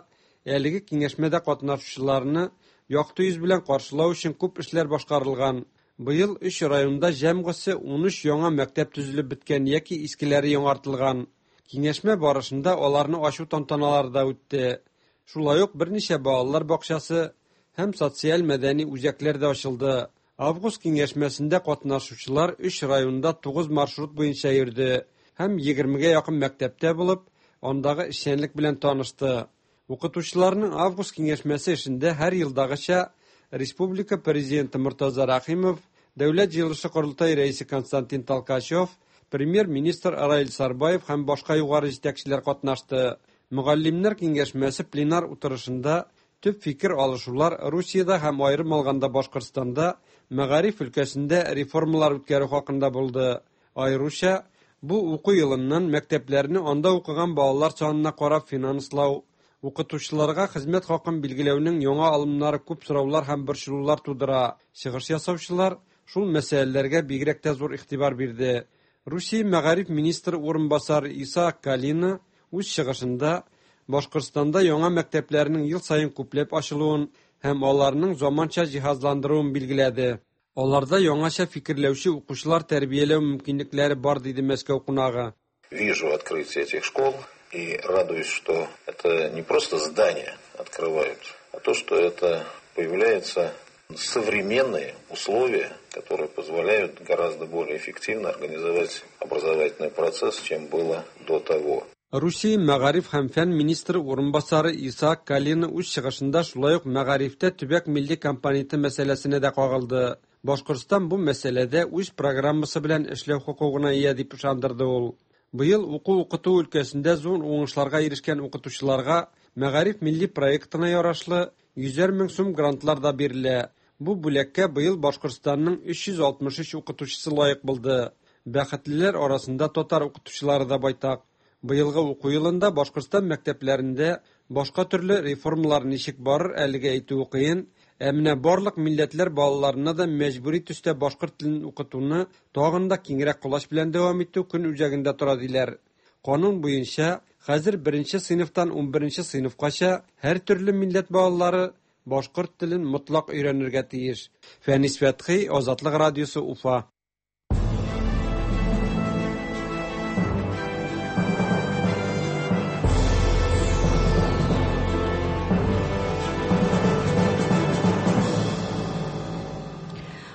әлеге киңәшмәдә катнашучыларны якты йөз белән каршылау өчен күп эшләр башкарылган. Быел өч районда җәмгысе 13 яңа мәктәп төзелеп беткән яки искеләре яңартылган. Киңәшмә барышында аларны ачу тантаналары да үтте. Шулай ук берничә балалар бакчасы һәм социаль-мәдәни үзәкләр дә ачылды. Август киңәшмәсендә катнашучылар өч районда 9 маршрут буенча йөрде һәм 20гә якын мәктәптә булып, андагы эшчәнлек белән танышты. Укытучыларның август киңәшмәсе эшендә һәр елдагыча республика президенты Мортаза Рәхимов, Дәүләт җыелышы-Корылтай рәисе Константин Толкачев, премьер-министр Раил Сарбаев һәм башка югары җитәкчеләр катнашты. Мөгаллимнәр киңәшмәсе пленар утырышында төп фикер алышулар Русиядә һәм аерым алганда Башкортстанда мәгариф өлкәсендә реформалар үткәрү хакында булды. Аеруча, бу уку елыннан мәктәпләрне анда укыган балалар санына карап финанслау, укытучыларга хезмәт хакын билгеләүнең яңа алымнары күп сораулар һәм борчылулар тудыра. Чыгыш ясаучылар шул мәсьәләләргә бигрәк тә зур игътибар бирде. Русия мәгариф министры урынбасары Исаак Калина үз чыгышында Башкортстанда яңа мәктәпләрнең ел саен күпләп ачылуын һәм аларның заманча җиһазландыруын билгеләде. Аларда яңача фикерләүче укучылар тәрбияләү мөмкинлекләре бар, диде Мәскәү кунагы. Вижу открытие этих школ и радуюсь, что это не просто здания открывают, а то, что это появляются современные условия, которые позволяют гораздо более эффективно организовать образовательный процесс, чем было до того. Русия мәгариф һәм фән министры урынбасары Исаак Калина үз чыгышында шулай ук мәгарифтә төбәк милли компоненты мәсьәләсенә дә кагылды. Башкортстан бу мәсьәләдә үз программасы белән эшләү хокукына ия дип ышандырды ул. Быел уку-укыту өлкәсендә зур уңышларга ирешкән укытучыларга Мәгариф милли проектына ярашлы йөзәр мең сум грантлар да бирелә. Бу бүләккә быел Башкортстанның 363 укытучысы лаек булды. Бәхетлеләр арасында татар укытучылары да байтак. Быелгы уку елында Башкортстан мәктәпләрендә башка төрле реформалар ничек барыр, әлегә әйтүе кыен, ә менә барлык милләтләр балаларына да мәҗбүри төстә башкорт телен укытуны тагын да киңрәк колач белән дәвам итү көн үзәгендә тора, диләр. Канун буенча, хәзер беренче сыйныфтан унберенче сыйныфкача һәртөрле милләт балалары башкорт телен мотлак өйрәнергә тиеш. Фәнис Фәтхи, Азатлык радиосы, Уфа.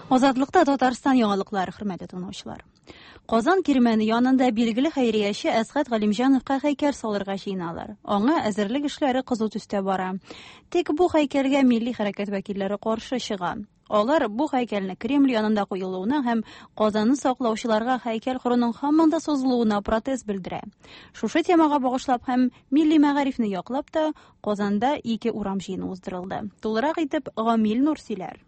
Азатлыкта Татарстан яңалыклары, хөрмәтле тыңлаучылар. Казан кирмәне янында билгеле хәйрияче Әсгать Галимҗановка һәйкәл салырга җыеналар. Аңа әзерлек эшләре кызу төстә бара. Тик бу һәйкәлгә милли хәрәкәт вәкилләре каршы чыга. Алар бу һәйкәлне Кремль янында куелуына һәм Казанны саклаучыларга һәйкәл коруның һаман да сузылуына протест белдерә. Шушы темага багышлап һәм милли мәгарифне яклап та Казанда ике урам җыены уздырылды. Тулырак итеп Гамил Нур сөйләр.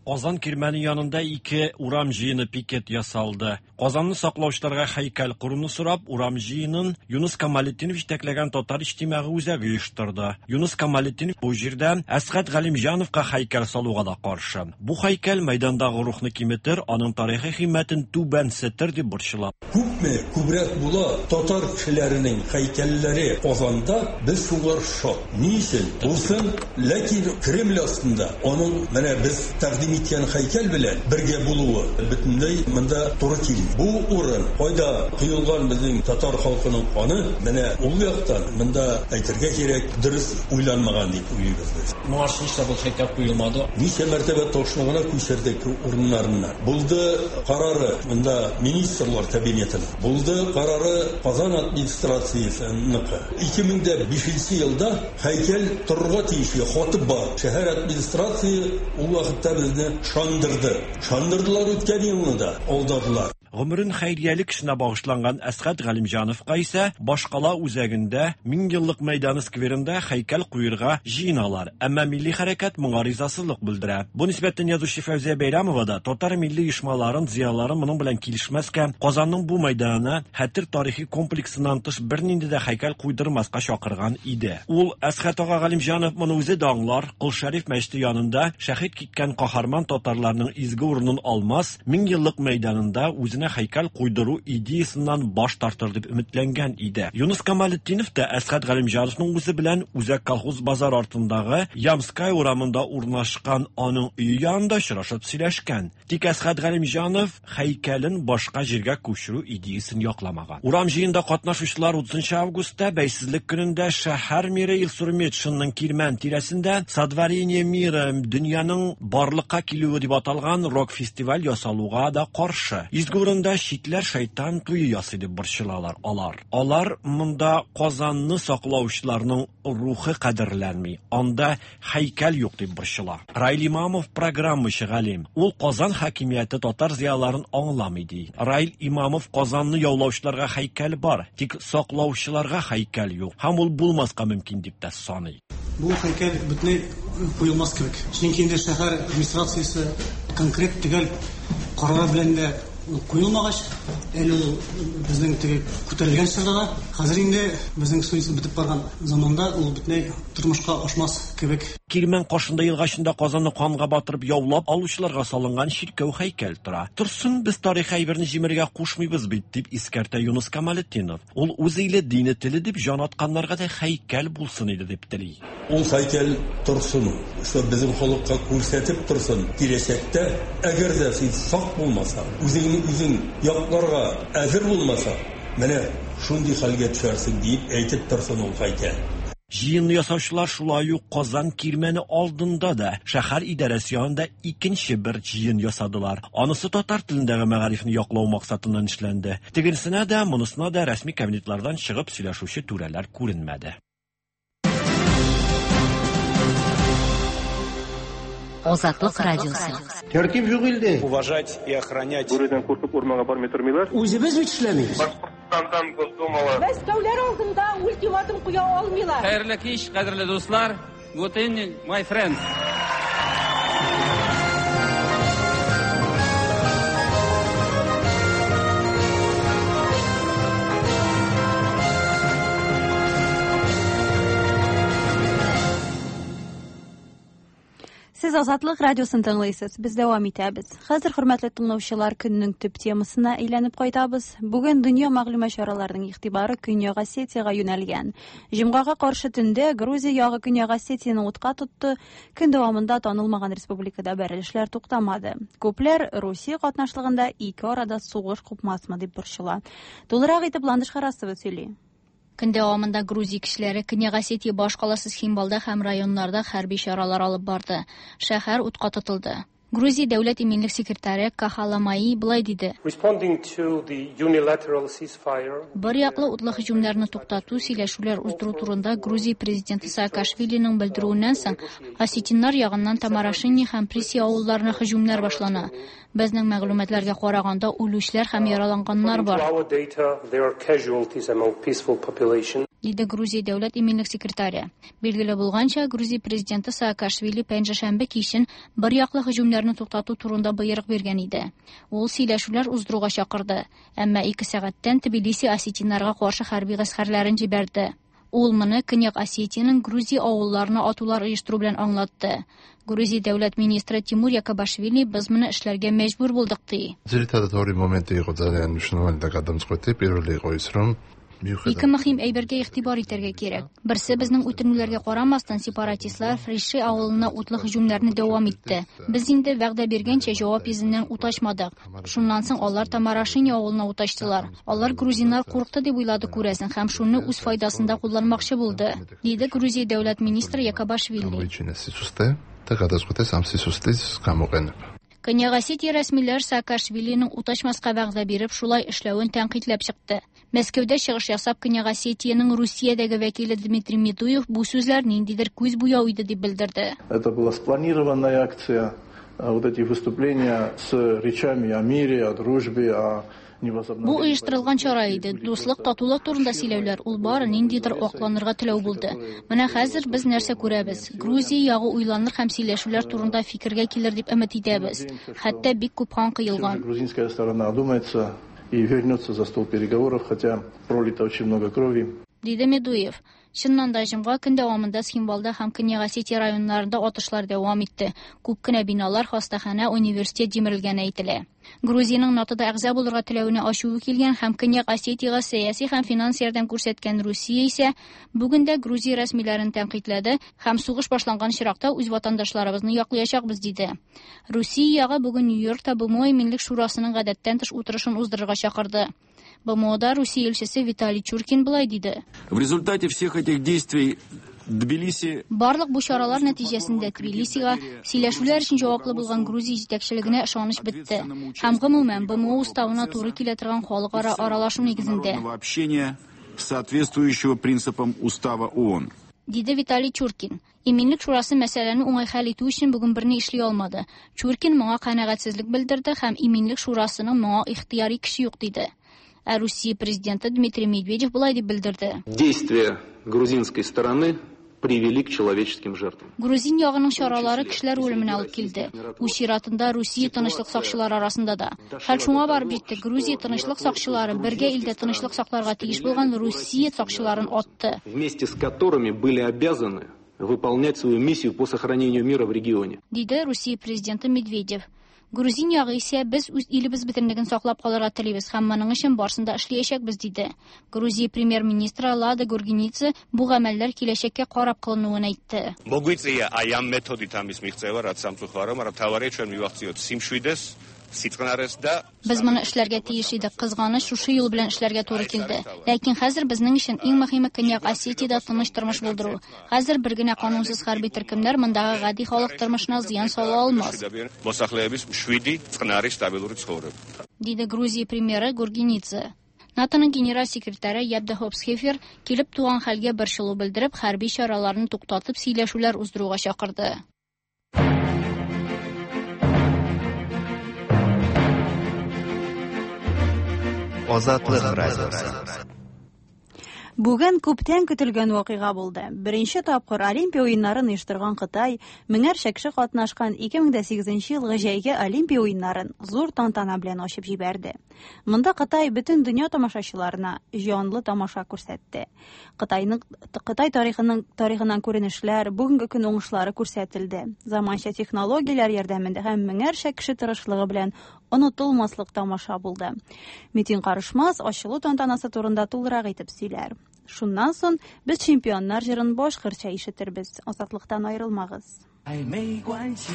Казан кирмәне янында ике урам җыены пикет ясалды. Казанны саклаучыларга һәйкәл коруны сорап, урам җыенын Юныс Камалетдинов җитәкләгән Татар иҗтимагый үзәге оештырды. Юныс Камалетдинов бу җирдә Әсгать Галимҗановка һәйкәл салуга да каршы. Бу һәйкәл мәйдандагы рухны киметер, аның тарихи кыйммәтен түбәнсетер дип борчыла. Күпме күбрәк була татар кешеләренең һәйкәлләре Казанда, без шуңар шат. Ни өчен? Булсын, ләкин Кремль астында аның менә без тәкъдим иткән һәйкәл белән бергә булуы бөтенләй монда туры килми. Бу урын, кайда коелган безнең татар халкының каны, менә ул яктан монда әйтергә кирәк, дөрес уйланмаган дип уйлыйбыз без. Моңарчы нишләп ул һәйкәл куелмады? Ничә мәртәбә ташны гына күчердек урыннарыннан. Булды карары монда министрлар кабинетының, булды карары Казан администрациясеныкы. 2005 елда һәйкәл торырга тиешле хаты бар. Шәһәр администрация ул вакытта безне шандырды. Шандырдылар үткән елны да, алдадылар. Гомерен хәйриялек эшенә багышланган Әсгать Галимҗановка исә башкала үзәгендә Меңьеллык мәйданы скверында һәйкәл куерга җыеналар. Әмма милли хәрәкәт моңа ризасызлык белдерә. Бу нисбәттән язучы Фәүзия Бәйрәмова да татар милли оешмаларын, зыялыларын моның белән килешмәскә, Казанның бу мәйданына Хәтер тарихи комплексыннан тыш бернинди дә һәйкәл куйдырмаска чакырган иде. Ул, Әсгать ага Галимҗанов моны үзе дә аңлар, Кол Шәриф мәчете янында шәһит киткән каһарман татарларның изге урынын алмас, Меңьеллык мәйданында үзенә һәйкәл куйдыру идеясеннән баш тартыр дип өметләнгән иде. Юныс Камалетдинов та Әсгать Галимҗановның үзе белән Үзәк колхоз базар артындагы Ямская урамында урнашкан аның өе янында очрашып сөйләшкән. Тик Әсгать Галимҗанов һәйкәлен башка җиргә күчерү идеясен якламаган. Урам җыенда катнашучылар 30 августта Бәйсезлек көнендә шәһәр мэры Илсур Метшинның Кирмән тирәсендә Сотворение мира дөньяның барлыкка килүе дип аталган рок-фестиваль ясалуга да каршы. Изге урында читләр шайтан туе ясый дип борчылалар алар. Алар монда Казанны саклаучыларның рухы кадерләнми, анда һәйкәл юк дип борчыла. Раил Имамов программачы галим. Ул Казан хакимияте татар зыялыларын аңламый ди. Раил Имамов Казанны яулаучыларга һәйкәл бар, тик саклаучыларга һәйкәл юк һәм ул булмаска мөмкин дип тә саный. Бу һәйкәл бөтенләй куелмас кебек. Чөнки инде шәһәр администрациясе конкрет төгәл карары белән дә ул куелмагач, әле ул безнең теге күтәрелгән чорда да, хәзер инде безнең суицид бетеп барган заманда ул бөтенләй тормышка ашмас кебек. Кирмән каршында елга эчендә Казанны канга батырып яулап алучыларга салынган чиркәү-һәйкәл тора. Торсын, без тарихи әйберне җимерергә кушмыйбыз бит, дип искәртә Юныс Камалетдинов. Ул үз иле, дине, теле дип җан атканнарга да һәйкәл булсын иде дип тели. Ул һәйкәл торсын, шул безнең халыкка күрсәтеп торсын, киләчәктә, әгәр дә син сак булмасаң, үзеңне үзең якларга әзер булмасаң, менә шундый хәлгә төшәрсең, диеп әйтеп торсын ул һәйкәл. Җыенны ясаучылар шулай ук Казан Кирмәне алдында да, шәһәр идарәсе янында икенче бер җыен ясадылар. Анысы татар телендәге мәгарифне яклау максатыннан эшләнде. Тегенесенә дә, монысына да рәсми кабинетлардан чыгып сөйләшүче түрәләр күренмәде. Азатлык радиосы. Тәртип юк илдә. Уважать и охранять. Бүредән куркып урманга бармый тормыйлар. Үзебез бит эшләмибез. Башкортстандан Госдумалы. Мәскәүләр алдында ультиматум куя алмыйлар. Хәерле кич, кадерле дуслар. Good evening, my friends. Сез Азатлык радиосын тыңлыйсыз. Без дәвам итәбез. Хәзер, хөрмәтле тыңлаучылар, көннең төп темасына әйләнеп кайтабыз. Бүген дөнья мәгълүмат чараларының игътибары Көньяк Осетиягә юнәлгән. Җомгага каршы төндә Грузия ягы Көньяк Осетияне утка тотты. Көн дәвамында танылмаган республикада бәрелешләр туктамады. Күпләр Русия катнашлыгында ике арада сугыш купмасмы дип борчыла. Тулырак итеп Ландыш Харасова сөйли. Көн дәвамында Грузия кешеләре Көньяк Осетия башкаласы Цхинвалда һәм районнарда хәрби чаралар алып барды. Шәһәр утка тотылды. Грузия дәүләт иминлек секретаре Каха Ламаи болай диде. Бер яклы утлы һөҗүмнәрне туктату, сөйләшүләр уздыру турында Грузия президенты Саакашвилиның белдерүеннән соң, осетиннар ягыннан Тамарашени һәм Приси авылларына һөҗүмнәр башлана. Безнең мәгълүматларга караганда, үлүчеләр һәм яраланганнар бар. Диде Грузия дәүләт иминлек секретаре. Билгеле булганча, Грузия президенты Саакашвили пәнҗешәмбе кичен бер яклы һөҗүмнәрне туктату турында боерык биргән иде. Ул сөйләшүләр уздыруга чакырды. Әмма ике сәгатьтән Тбилиси осетиннарга каршы хәрби гаскәрләрен җибәрде. Ул моны Көньяк Осетиянең Грузия авылларына атулар оештыру белән аңлатты. Грузия дәүләт министры Тимур Якобашвили без моны эшләргә мәҗбүр булдык ди. ძირითადად ორი მომენტი იყო ძალიან მნიშვნელოვანი და გადამწყვეტი. პირველი იყო ის, რომ Ике мөһим әйбергә игътибар итәргә кирәк. Берсе безнең үтенүләргә карамастан, сепаратистлар Фриши авылына утлы һөҗүмнәрне дәвам итте. Без инде вәгъдә биргәнчә җавап йөзеннән ут ачмадык. Шуннан соң алар Тамарашени авылына ут ачтылар. Алар грузиннар курыкты дип уйлады күрәсең һәм шуны үз файдасында кулланмакчы булды, диде Грузия дәүләт министры Якобашвили. გამოიჩინეს სისუსტე და გადაწყვიტეს ამ სისუსტის გამოყენება. Көньяк Осетия рәсмиләр Саакашвилиның ут ачмаска вәгъдә биреп шулай эшләвен тәнкыйтьләп чыкты. Мәскәүдә чыгыш ясап Көньяк Осетиянең Русиядәге вәкиле Дмитрий Медуев бу сүзләр ниндидер күз буяу иде дип белдерде. Это была спланированная акция. Вот эти выступления с речами о мире, о дружбе, о Бу оештырылган чара иде. Дуслык, татулык турында сөйләүләр, ул бары ниндидер акланырга теләү булды. Менә хәзер без нәрсә күрәбез? Грузия ягы уйланыр һәм сөйләшүләр турында фикергә килер дип өмет итәбез. Хәтта бик күп кан коелган. Грузинская сторона одумается и вернется за стол переговоров, хотя пролито очень много крови. Диде Медуев. Чыннан да, җомга көн дәвамында Цхинвалда һәм Көньяк Осетия районнарында атышлар дәвам итте. Күп кенә биналар, хастаханә, университет җимерелгәне әйтелә. Грузиянең НАТОда әгъза булырга теләвенә ачуы килгән һәм Көньяк Осетиягә сәяси һәм финанс ярдәм күрсәткән Русия исә бүген дә Грузия рәсмиләрен тәнкыйтьләде һәм сугыш башланган очракта үз ватандашларыбызны яклыячакбыз диде. Русия ягы бүген Нью-Йоркта БМО Иминлек шурасының гадәттән тыш утырышын уздырырга чакырды. БМОда Русия илчесе Виталий Чуркин болай диде. В результате всех этих действий Тбилиси Барлык бу чаралар нәтиҗәсендә Тбилисига сөйләшүләр өчен җаваплы булган Грузия җитәкчелегенә ышаныч бетте. Һәм гомумән БМО уставына туры килә торган халыкара аралашу нигезендә. общения, соответствующего принципам устава ООН. Диде Виталий Чуркин. Иминлек шурасы мәсьәләне уңай хәл итү өчен бүген берни эшли алмады. Чуркин моңа канәгатьсезлек белдерде һәм Иминлек шурасының моңа ихтыяри көче юк диде. Ә Русия президенты Дмитрий Медведев болай дип белдерде. Действия грузинской стороны привели к человеческим жертвам. Грузин ягының чаралары кешеләр үлеменә алып килде. Үз чиратында Русия тынычлык сакчылары арасында да. Хәл шуңа барып җитте, Грузия тынычлык сакчылары бергә илдә тынычлык сакларга тиеш булган Русия сакчыларын атты. Вместе с которыми были обязаны выполнять свою миссию по сохранению мира в регионе. Диде Русия президенты Медведев. Грузин ягы исә без үз илебез бөтенлеген саклап калырга телибез һәм моның өчен барысын да эшләячәкбез диде. Грузия премьер-министры Лада Гургенидзе бу гамәлләр киләчәккә карап кылынуын әйтте. მოგვიწია აი ამ მეთოდით ამის მიღწევა, რაც სამწუხაროა, მაგრამ მთავარია ჩვენ მივახციოთ სიმშვიდეს, სიწყნარეს და Без моны эшләргә тиеш идек. Кызганыч, шушы юл белән эшләргә туры килде. Ләкин хәзер безнең өчен иң мөһиме Көньяк Осетиядә тыныч тормыш булдыру. Хәзер бер генә канунсыз хәрби төркемнәр мондагы гади халык тормышына зыян сала алмас. მოსახლეების მშვიდი, წყნარი, სტაბილური ცხოვრება. Диде Грузия премьеры Гургенидзе. НАТОның генераль секретаре Яп де Хоп Схефер килеп туган хәлгә борчылу белдереп, хәрби чараларны туктатып сөйләшүләр уздыруга чакырды. Азатлык радиосы. Бүген күптән көтелгән вакыйга булды. Беренче тапкыр Олимпия уеннарын оештырган Кытай меңәрчә кеше катнашкан 2008 елгы җәйге Олимпия уеннарын зур тантана белән ачып җибәрде. Монда Кытай бөтен дөнья тамашачыларына җанлы тамаша күрсәтте. Кытайның Кытай тарихының тарихыннан күренешләр, бүгенге көн уңышлары күрсәтелде. Заманча технологияләр ярдәмендә һәм меңәрчә кеше тырышлыгы белән онытылмаслык тамаша булды. Митин Карышмас ачылу тантанасы турында тулырак итеп сөйләр. Шуннан соң без чемпионнар җырын башкортча ишетербез. Азатлыктан аерылмагыз. 爱没关系，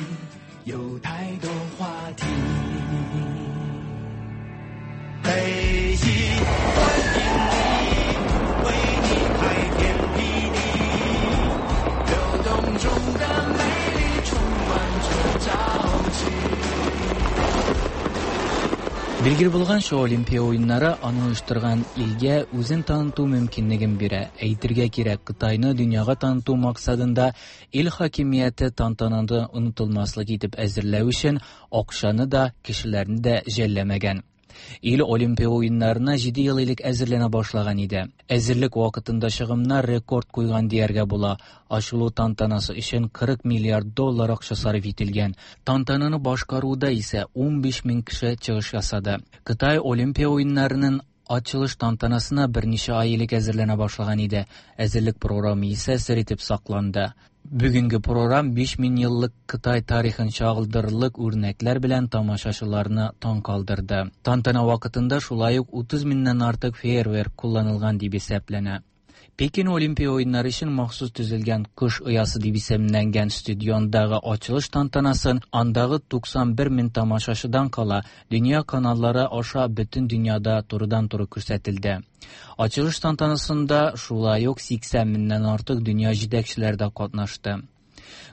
有太多话题。北极欢迎你，为你开天辟地，流动中的美丽充满着朝气。 Билгеле булганча, Олимпия уеннары аны оештырган илгә үзен таныту мөмкинлеген бирә. Әйтергә кирәк, Кытайны дөньяга таныту максатында ил хакимияте тантананы онытылмаслык итеп әзерләү өчен акчаны да, кешеләрне дә жәлләмәгән. Ил Олимпия уеннарына 7 ел элек әзерләнә башлаган иде. Әзерлек вакытында чыгымнар рекорд куйган дияргә була. Ачылу тантанасы өчен 40 миллиард доллар акча сарыф ителгән. Тантананы башкаруда исә 15 мең кеше чыгыш ясады. Кытай Олимпия уеннарының ачылыш тантанасына берничә ай элек әзерләнә башлаган иде. Әзерлек програмы исә сер итеп сакланды. Бүгенге програм 5000 еллык Кытай тарихын чагылдырырлык үрнәкләр белән тамашачыларны таң калдырды. Тантана вакытында шулай ук 30 меңнән артык фейерверк кулланылган дип исәпләнә. Пекин Олимпия уеннары өчен махсус төзелгән Кыш оясы дип исемләнгән стадиондагы ачылыш тантанасын андагы 91 мең тамашачыдан кала дөнья каналлары аша бөтен дөньяда турыдан-туры күрсәтелде. Ачылыш тантанасында шулай ук 80 меңнән артык дөнья җитәкчеләре дә катнашты.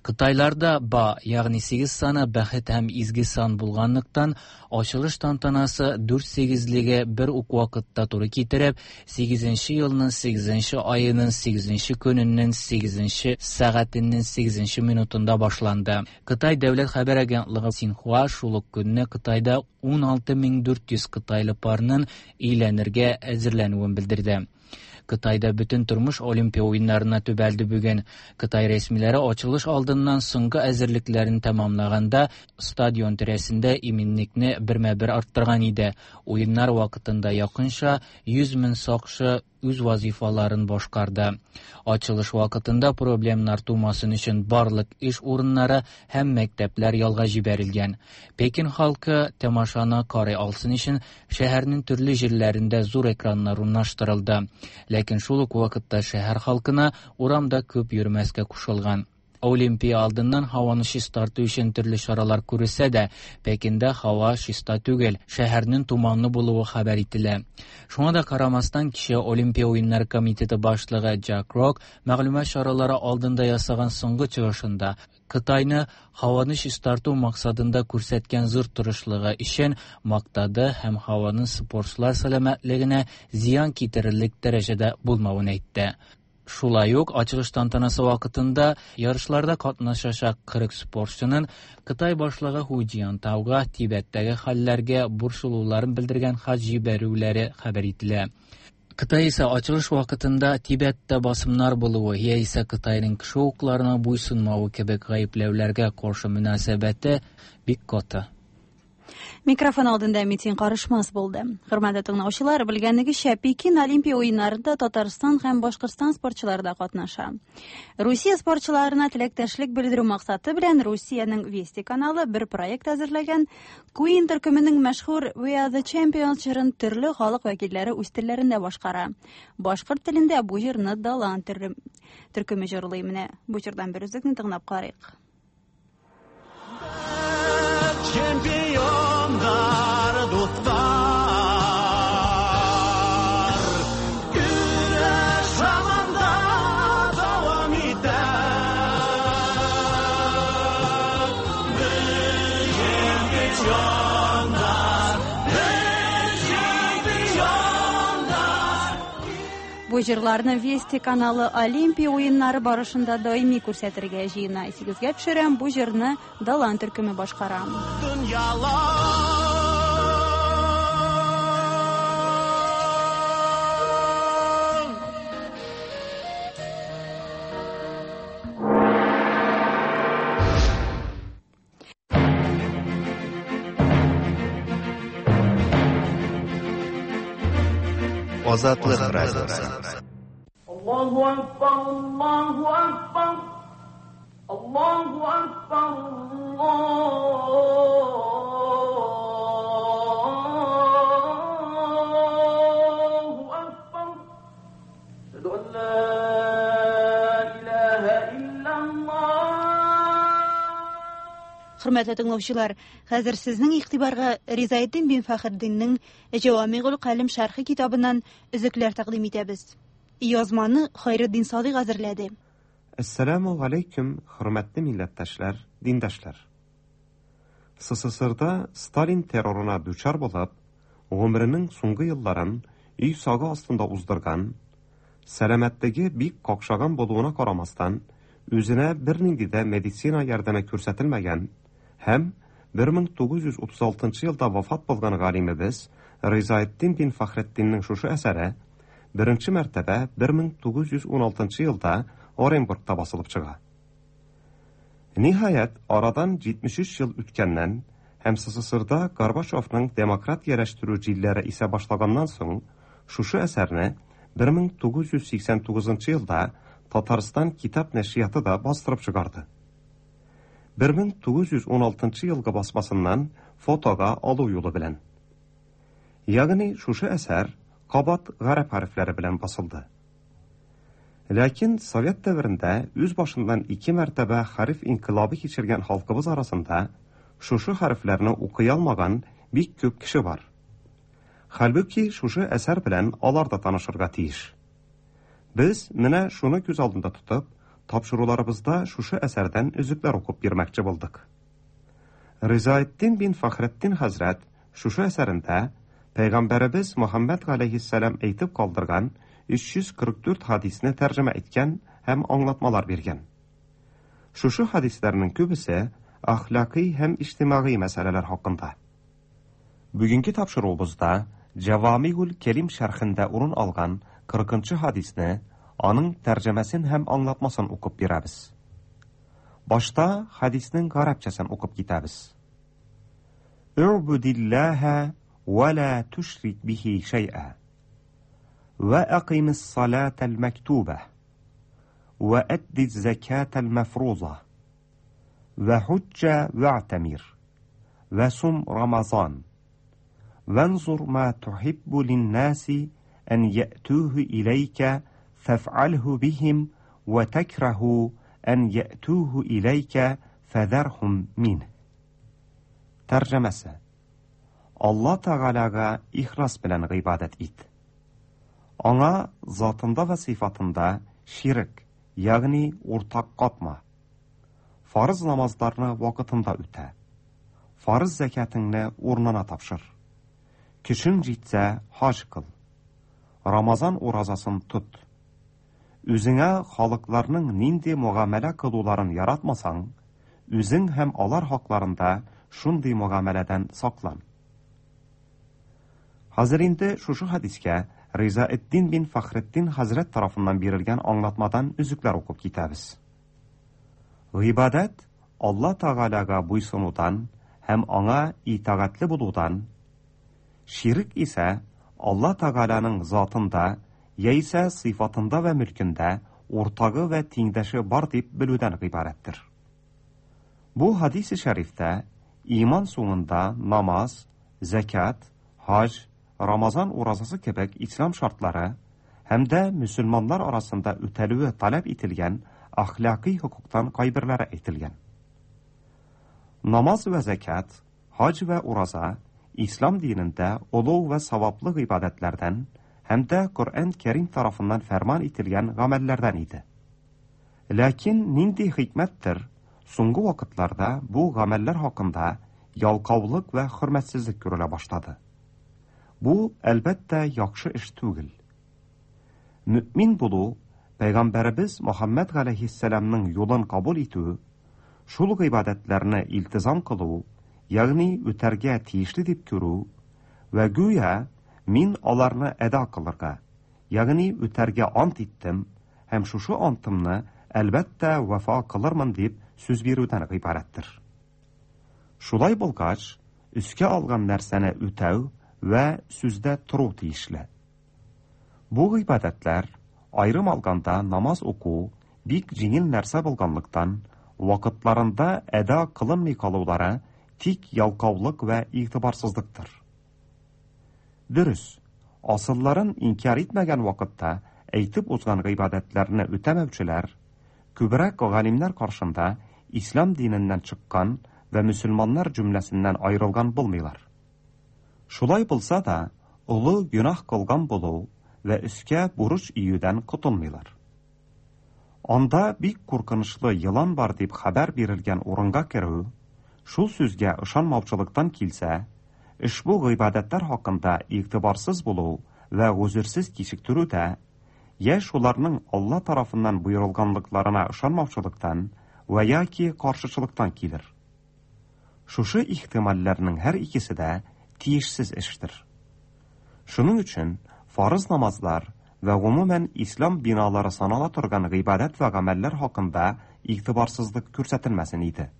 Кытайларда ба, ягъни сигез саны бәхет һәм изге сан булганлыктан, ачылыш тантанасы дүрт сигезлеге бер үк вакытта туры китереп, сигезенче елның сигезенче аеның сигезенче көненең сигезенче сәгатенең сигезенче минутында башланды. Кытай дәүләт хәбәр агентлыгы Синхуа шул ук көнне Кытайда 16400 кытайлы парның өйләнергә әзерләнүен белдерде. Кытайда бөтен тормыш Олимпия уеннарына төбәлде бүген. Кытай рәсмиләре ачылыш алдыннан соңгы әзерлекләрен тәмамлаганда стадион тирәсендә иминлекне бермә-бер арттырган иде. Уеннар вакытында якынча 100 мең сакчы үз вазыйфаларын башкарды. Ачылыш вакытында проблемнар тумасын өчен барлык эш урыннары һәм мәктәпләр ялга җибәрелгән. Пекин халкы тамашаны карый алсын өчен шәһәрнең төрле җирләрендә зур экраннар урнаштырылды. Ләкин шул ук вакытта шәһәр халкына урамда күп йөрмәскә кушылган. Олимпия алдыннан һаваны чистарту өчен төрле чаралар күрелсә дә, Пекинда һава чиста түгел, шәһәрнең томанлы булуы хәбәр ителә. Шуңа да карамастан, кичә Олимпия уеннары комитеты башлыгы Джак Рок мәгълүмат чаралары алдында ясаган соңгы чыгышында Кытайны һаваны чистарту максатында күрсәткән зур тырышлыгы өчен мактады һәм һаваның спортчылар сәламәтлегенә зыян китерерлек дәрәҗәдә булмавын әйтте. Шулай ук ачылыш тантанасы вакытында ярышларда катнашачак 40 спортчының Кытай башлыгы Ху Цзиньтауга Тибеттәге хәлләргә борчылуларын белдергән хат җибәрүләре хәбәр ителә. Кытай исә ачылыш вакытында Тибеттә басымнар булуы яисә Кытайның кеше хокукларына буйсынмавы кебек гаепләүләргә каршы мөнәсәбәте бик каты. Микрофон алдында Митин Карышмас булды. Хөрмәтле тыңлаучылар, белгәнегезчә, Пекин Олимпия уеннарында Татарстан һәм Башкортстан спортчылары да катнаша. Русия спортчыларына теләктәшлек белдерү максаты белән Русиянең Вести каналы бер проект әзерләгән. Queen төркеменең мәшһүр We Are The Champions җырын төрле халык вәкилләре үз телләрендә башкара. Башкорт телендә бу җырны Далан төркеме җырлый. Менә бу җырдан бер өзекне тыңлап карыйк. Чемпиондар, дуслар, көрәш һаман да дәвам итә. Без чемпиондар, без чемпиондар. Бу җырларны Вести каналы Олимпия уеннары барышында даими күрсәтергә җыена. Исегезгә төшерәм, бу җырны Далан төркеме башкара. Дөньялар. Азатлык радиосы. Аллаһу акбар, Аллаһу акбар. Аллаһу акбар, Аллаһу акбар. Әшһәду ан ла илаһа иллаллаһ. Хөрмәтле тыңлаучылар, хәзер сезнең игътибарга Ризаэддин бин Фәхретдиннең Җавамигул Калим шәрхе китабыннан өзекләр тәкъдим итәбез. Язманы Хайретдин Садыйк әзерләде. Әссәламү галәйкүм, хөрмәтле милләттәшләр, диндәшләр! СССРда Сталин террорына дучар булып, гомеренең соңгы елларын өй сагы астында уздырган, сәламәтлеге бик какшаган булуына карамастан, үзенә бернинди дә медицина ярдәме күрсәтелмәгән һәм 1936 елда вафат булган галимебез Ризаэтдин бин Фәхретдиннең шушы әсәре беренче мәртәбә 1916 елда Оренбургта басылып чыга. Ниһаять, арадан 73 ел үткәннән һәм СССРда Горбачевның демократияләштерү җилләре исә башлаганнан соң, шушы әсәрне 1989 елда Татарстан китап нәшрияты да бастырып чыгарды. 1916 елгы басмасыннан фотога алу юлы белән. Ягъни шушы әсәр кабат гарәп хәрефләре белән басылды. Ләкин совет дәверендә үз башыннан ике мәртәбә хәреф инкыйлабы кичергән халкыбыз арасында шушы хәрефләрне укый алмаган бик күп кеше бар. Хәлбуки шушы әсәр белән алар да танышырга тиеш. Без менә шуны күз алдында тотып, тапшыруларыбызда шушы әсәрдән өзекләр укып бирмәкче булдык. Ризаэддин бин Фәхретдин хәзрәт шушы әсәрендә Пәйгамбәребез Мөхәммәд галәйһиссәлам әйтеп калдырган 344 хадисне тәрҗемә иткән һәм аңлатмалар биргән. Шушы хадисләрнең күбесе әхлакый һәм иҗтимагый мәсьәләләр хакында. Бүгенге тапшыруыбызда Җәвамигуль Кәлим шәрхендә урын алган 40 нчы хадисне, аның тәрҗемәсен һәм аңлатмасын укып бирәбез. Башта хәдиснең гарәпчәсен укып китәбез. У'будиллаһа ва ла тушрик бихи шәй'a. Ва акимис салатал мәктуба. Ва әдди закатал мәфруза. Ва худжа ва'тамир. Ва сум рамазан. وانظر ما تحب للناس أن يأتوه إليك فافعله بهم وتكره أن يأتوه إليك فذرهم منه. Тәрҗемәсе. Алла Тәгаләгә ихлас белән гыйбадәт ит. Аңа затында вә сыйфатында ширек, ягъни уртак катма. Фарыз намазларны вакытында үтә. Фарыз зәкятеңне урынына тапшыр. Көчең җитсә, хаҗ кыл. Рамазан уразасын тот. Үзеңә халыкларның нинди мөгамәлә кылуларын яратмасаң, үзең һәм алар хакларында шундый мөгамәләдән саклан. Хәзер инде шушы хәдискә Ризаэддин бин Фәхретдин хәзрәт тарафыннан бирелгән аңлатмадан өзекләр укып китәбез. Гыйбадәт Алла Тәгаләгә буйсынудан һәм аңа итагатьле булудан, ширек исә Алла Тәгаләнең затында яисә сыйфатында вә мөлкендә уртагы вә тиңдәше бар дип белүдән гыйбарәттер. Бу хадисе шәрифтә иман соңында намаз, зәкят, хаҗ, Рамазан уразасы кебек ислам шартлары һәм дә мөселманнар арасында үтәлүе таләп ителгән әхлакый хокуктан кайберләре әйтелгән. Намаз вә зәкят, хаҗ вә ураза ислам динендә олуг вә саваплы гыйбадәтләрдән һәм дә Коръән Кәрим тарафыннан фәрман ителгән гамәлләрдән иде. Ләкин нинди хикмәттер, соңгы вакытларда бу гамәлләр хакында ялкаулык вә хөрмәтсезлек күрелә башлады. Бу, әлбәттә, яхшы эш түгел. Мөэмин булу, пәйгамбәребез Мөхәммәд галәйһиссәламның юлын кабул итү, шул гыйбадәтләрне илтизам кылу, ягъни үтәргә тиешле дип күрү вә гүя мин аларны әда кылырга, ягъни үтәргә ант иттем һәм шушы антымны, әлбәттә, вафа кылырмын дип сүз бирүдән гыйбарәттер. Шулай булгач, өскә алган нәрсәне үтәү вә сүздә тору тиешле. Бу гыйбадәтләр, аерым алганда намаз уку, бик җиңел нәрсә булганлыктан, вакытларында әда кылынмый калулары тик ялкаулык вә игътибарсызлыктыр. Дөрес, асылларын инкяр итмәгән вакытта әйтеп узган гыйбадәтләрне үтәмәүчеләр, күбрәк галимнәр каршында ислам диненнән чыккан вә мөселманнар җөмләсеннән аерылган булмыйлар. Шулай булса да, олы гөнаһ кылган булу вә өскә бурыч өюдән котылмыйлар. Анда бик куркынычлы елан бар дип хәбәр бирелгән урынга керү, шул сүзгә ышанмаучылыктан килсә, ошбу гыйбадәтләр хакында игътибарсыз булу вә гозерсез кичектерү дә, йә шуларның Алла тарафыннан боерылганлыкларына ышанмаучылыктан вә яки каршычылыктан килер. Шушы ихтимальләрнең һәр икесе дә тиешсез эштер. Шуның өчен фарыз намазлар вә гомумән ислам биналары санала торган гыйбадәт вә гамәлләр хакында игътибарсызлык күрсәтелмәсен иде.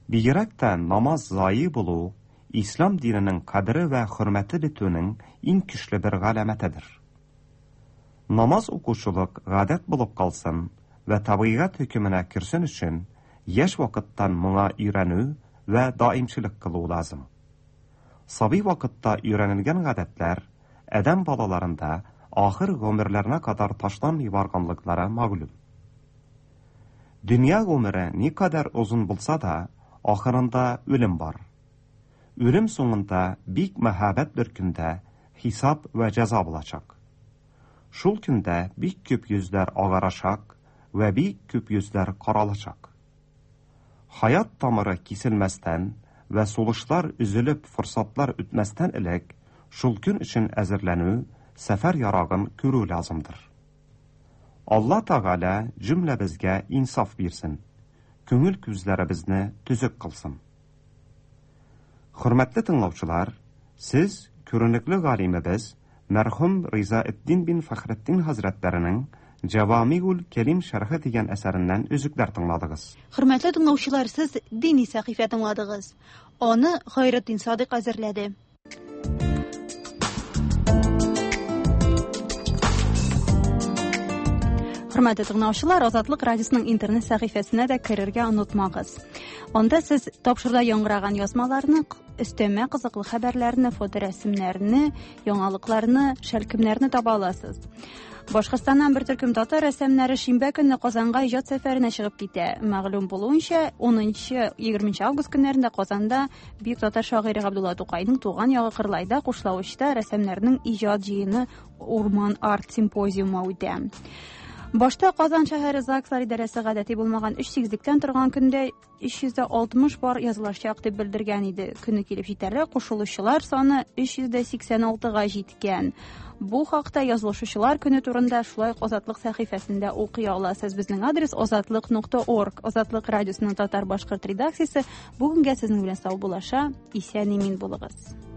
Бигрәк тә намаз зае булу ислам диненең кадере вә хөрмәте бетүнең иң көчле бер галәмәтедер. Намаз укучылык гадәт булып калсын вә табигать хөкеменә керсен өчен яшь вакыттан моңа өйрәнү вә даимчелек кылу лазым. Сабый вакытта өйрәнелгән гадәтләр адәм балаларында ахыр гомерләренә кадәр ташланмый барганлыклары мәгълүм. Дөнья гомере никадәр озын булса да, ахырында үлем бар. Үлем соңында бик мәһабәт бер көндә хисап вә җәза булачак. Шул көндә бик күп йөзләр агарачак Вә бик күп йөзләр каралачак. Хаят тамыры киселмәстән вә сулышлар өзелеп форсатлар үтмәстән элек, шул көн өчен әзерләнү, сәфәр ярагын күрү лазымдыр. Алла Тәгалә җөмләбезгә инсаф бирсен, күңел күзләребезне төзек кылсын. Хөрмәтле тыңлаучылар, сез күренекле галимебез мәрхүм Ризаэддин бин Фәхретдин хәзрәтләренең Җәвамигул Кәлим шәрхе дигән әсәреннән өзекләр тыңладыгыз. Хөрмәтле тыңлаучылар, сез дини сәхифә тыңладыгыз. Аны Хайретдин Садыйк әзерләде. Хөрмәтле тыңлаучылар, Азатлык радиосының интернет сәхифәсенә дә керергә онытмагыз. Анда сез тапшыруда яңгыраган язмаларны, өстәмә кызыклы хәбәрләрне, фоторәсемнәрне, яңалыкларны, шәлкемнәрне таба аласыз. Башкортстаннан бер төркем татар рәссамнары шимбә көнне Казанга иҗат сәфәренә чыгып китә. Мәгълүм булуынча, 10-20 август көннәрендә Казанда бөек татар шагыйре Габдулла Тукайның туган ягы Кырлайда Кушлавычта рәссамнарның иҗат җыены Урман арт симпозиумы үтә. Башта Казан шәһәре ЗАГСлар идарәсе гадәти булмаган 3 сигезлектән торган көндә 360 пар язылачак дип белдергән иде. Көне килеп җитәргә кушылучылар саны 386-га җиткән. Бу хакта язылышучылар көне турында шулай ук Азатлык сәхифәсендә укый аласыз. Безнең адрес азатлык.орг. Азатлык радиосының татар-башкорт редакциясе бүгенгә сезнең белән саубуллаша. Исән-имин булыгыз.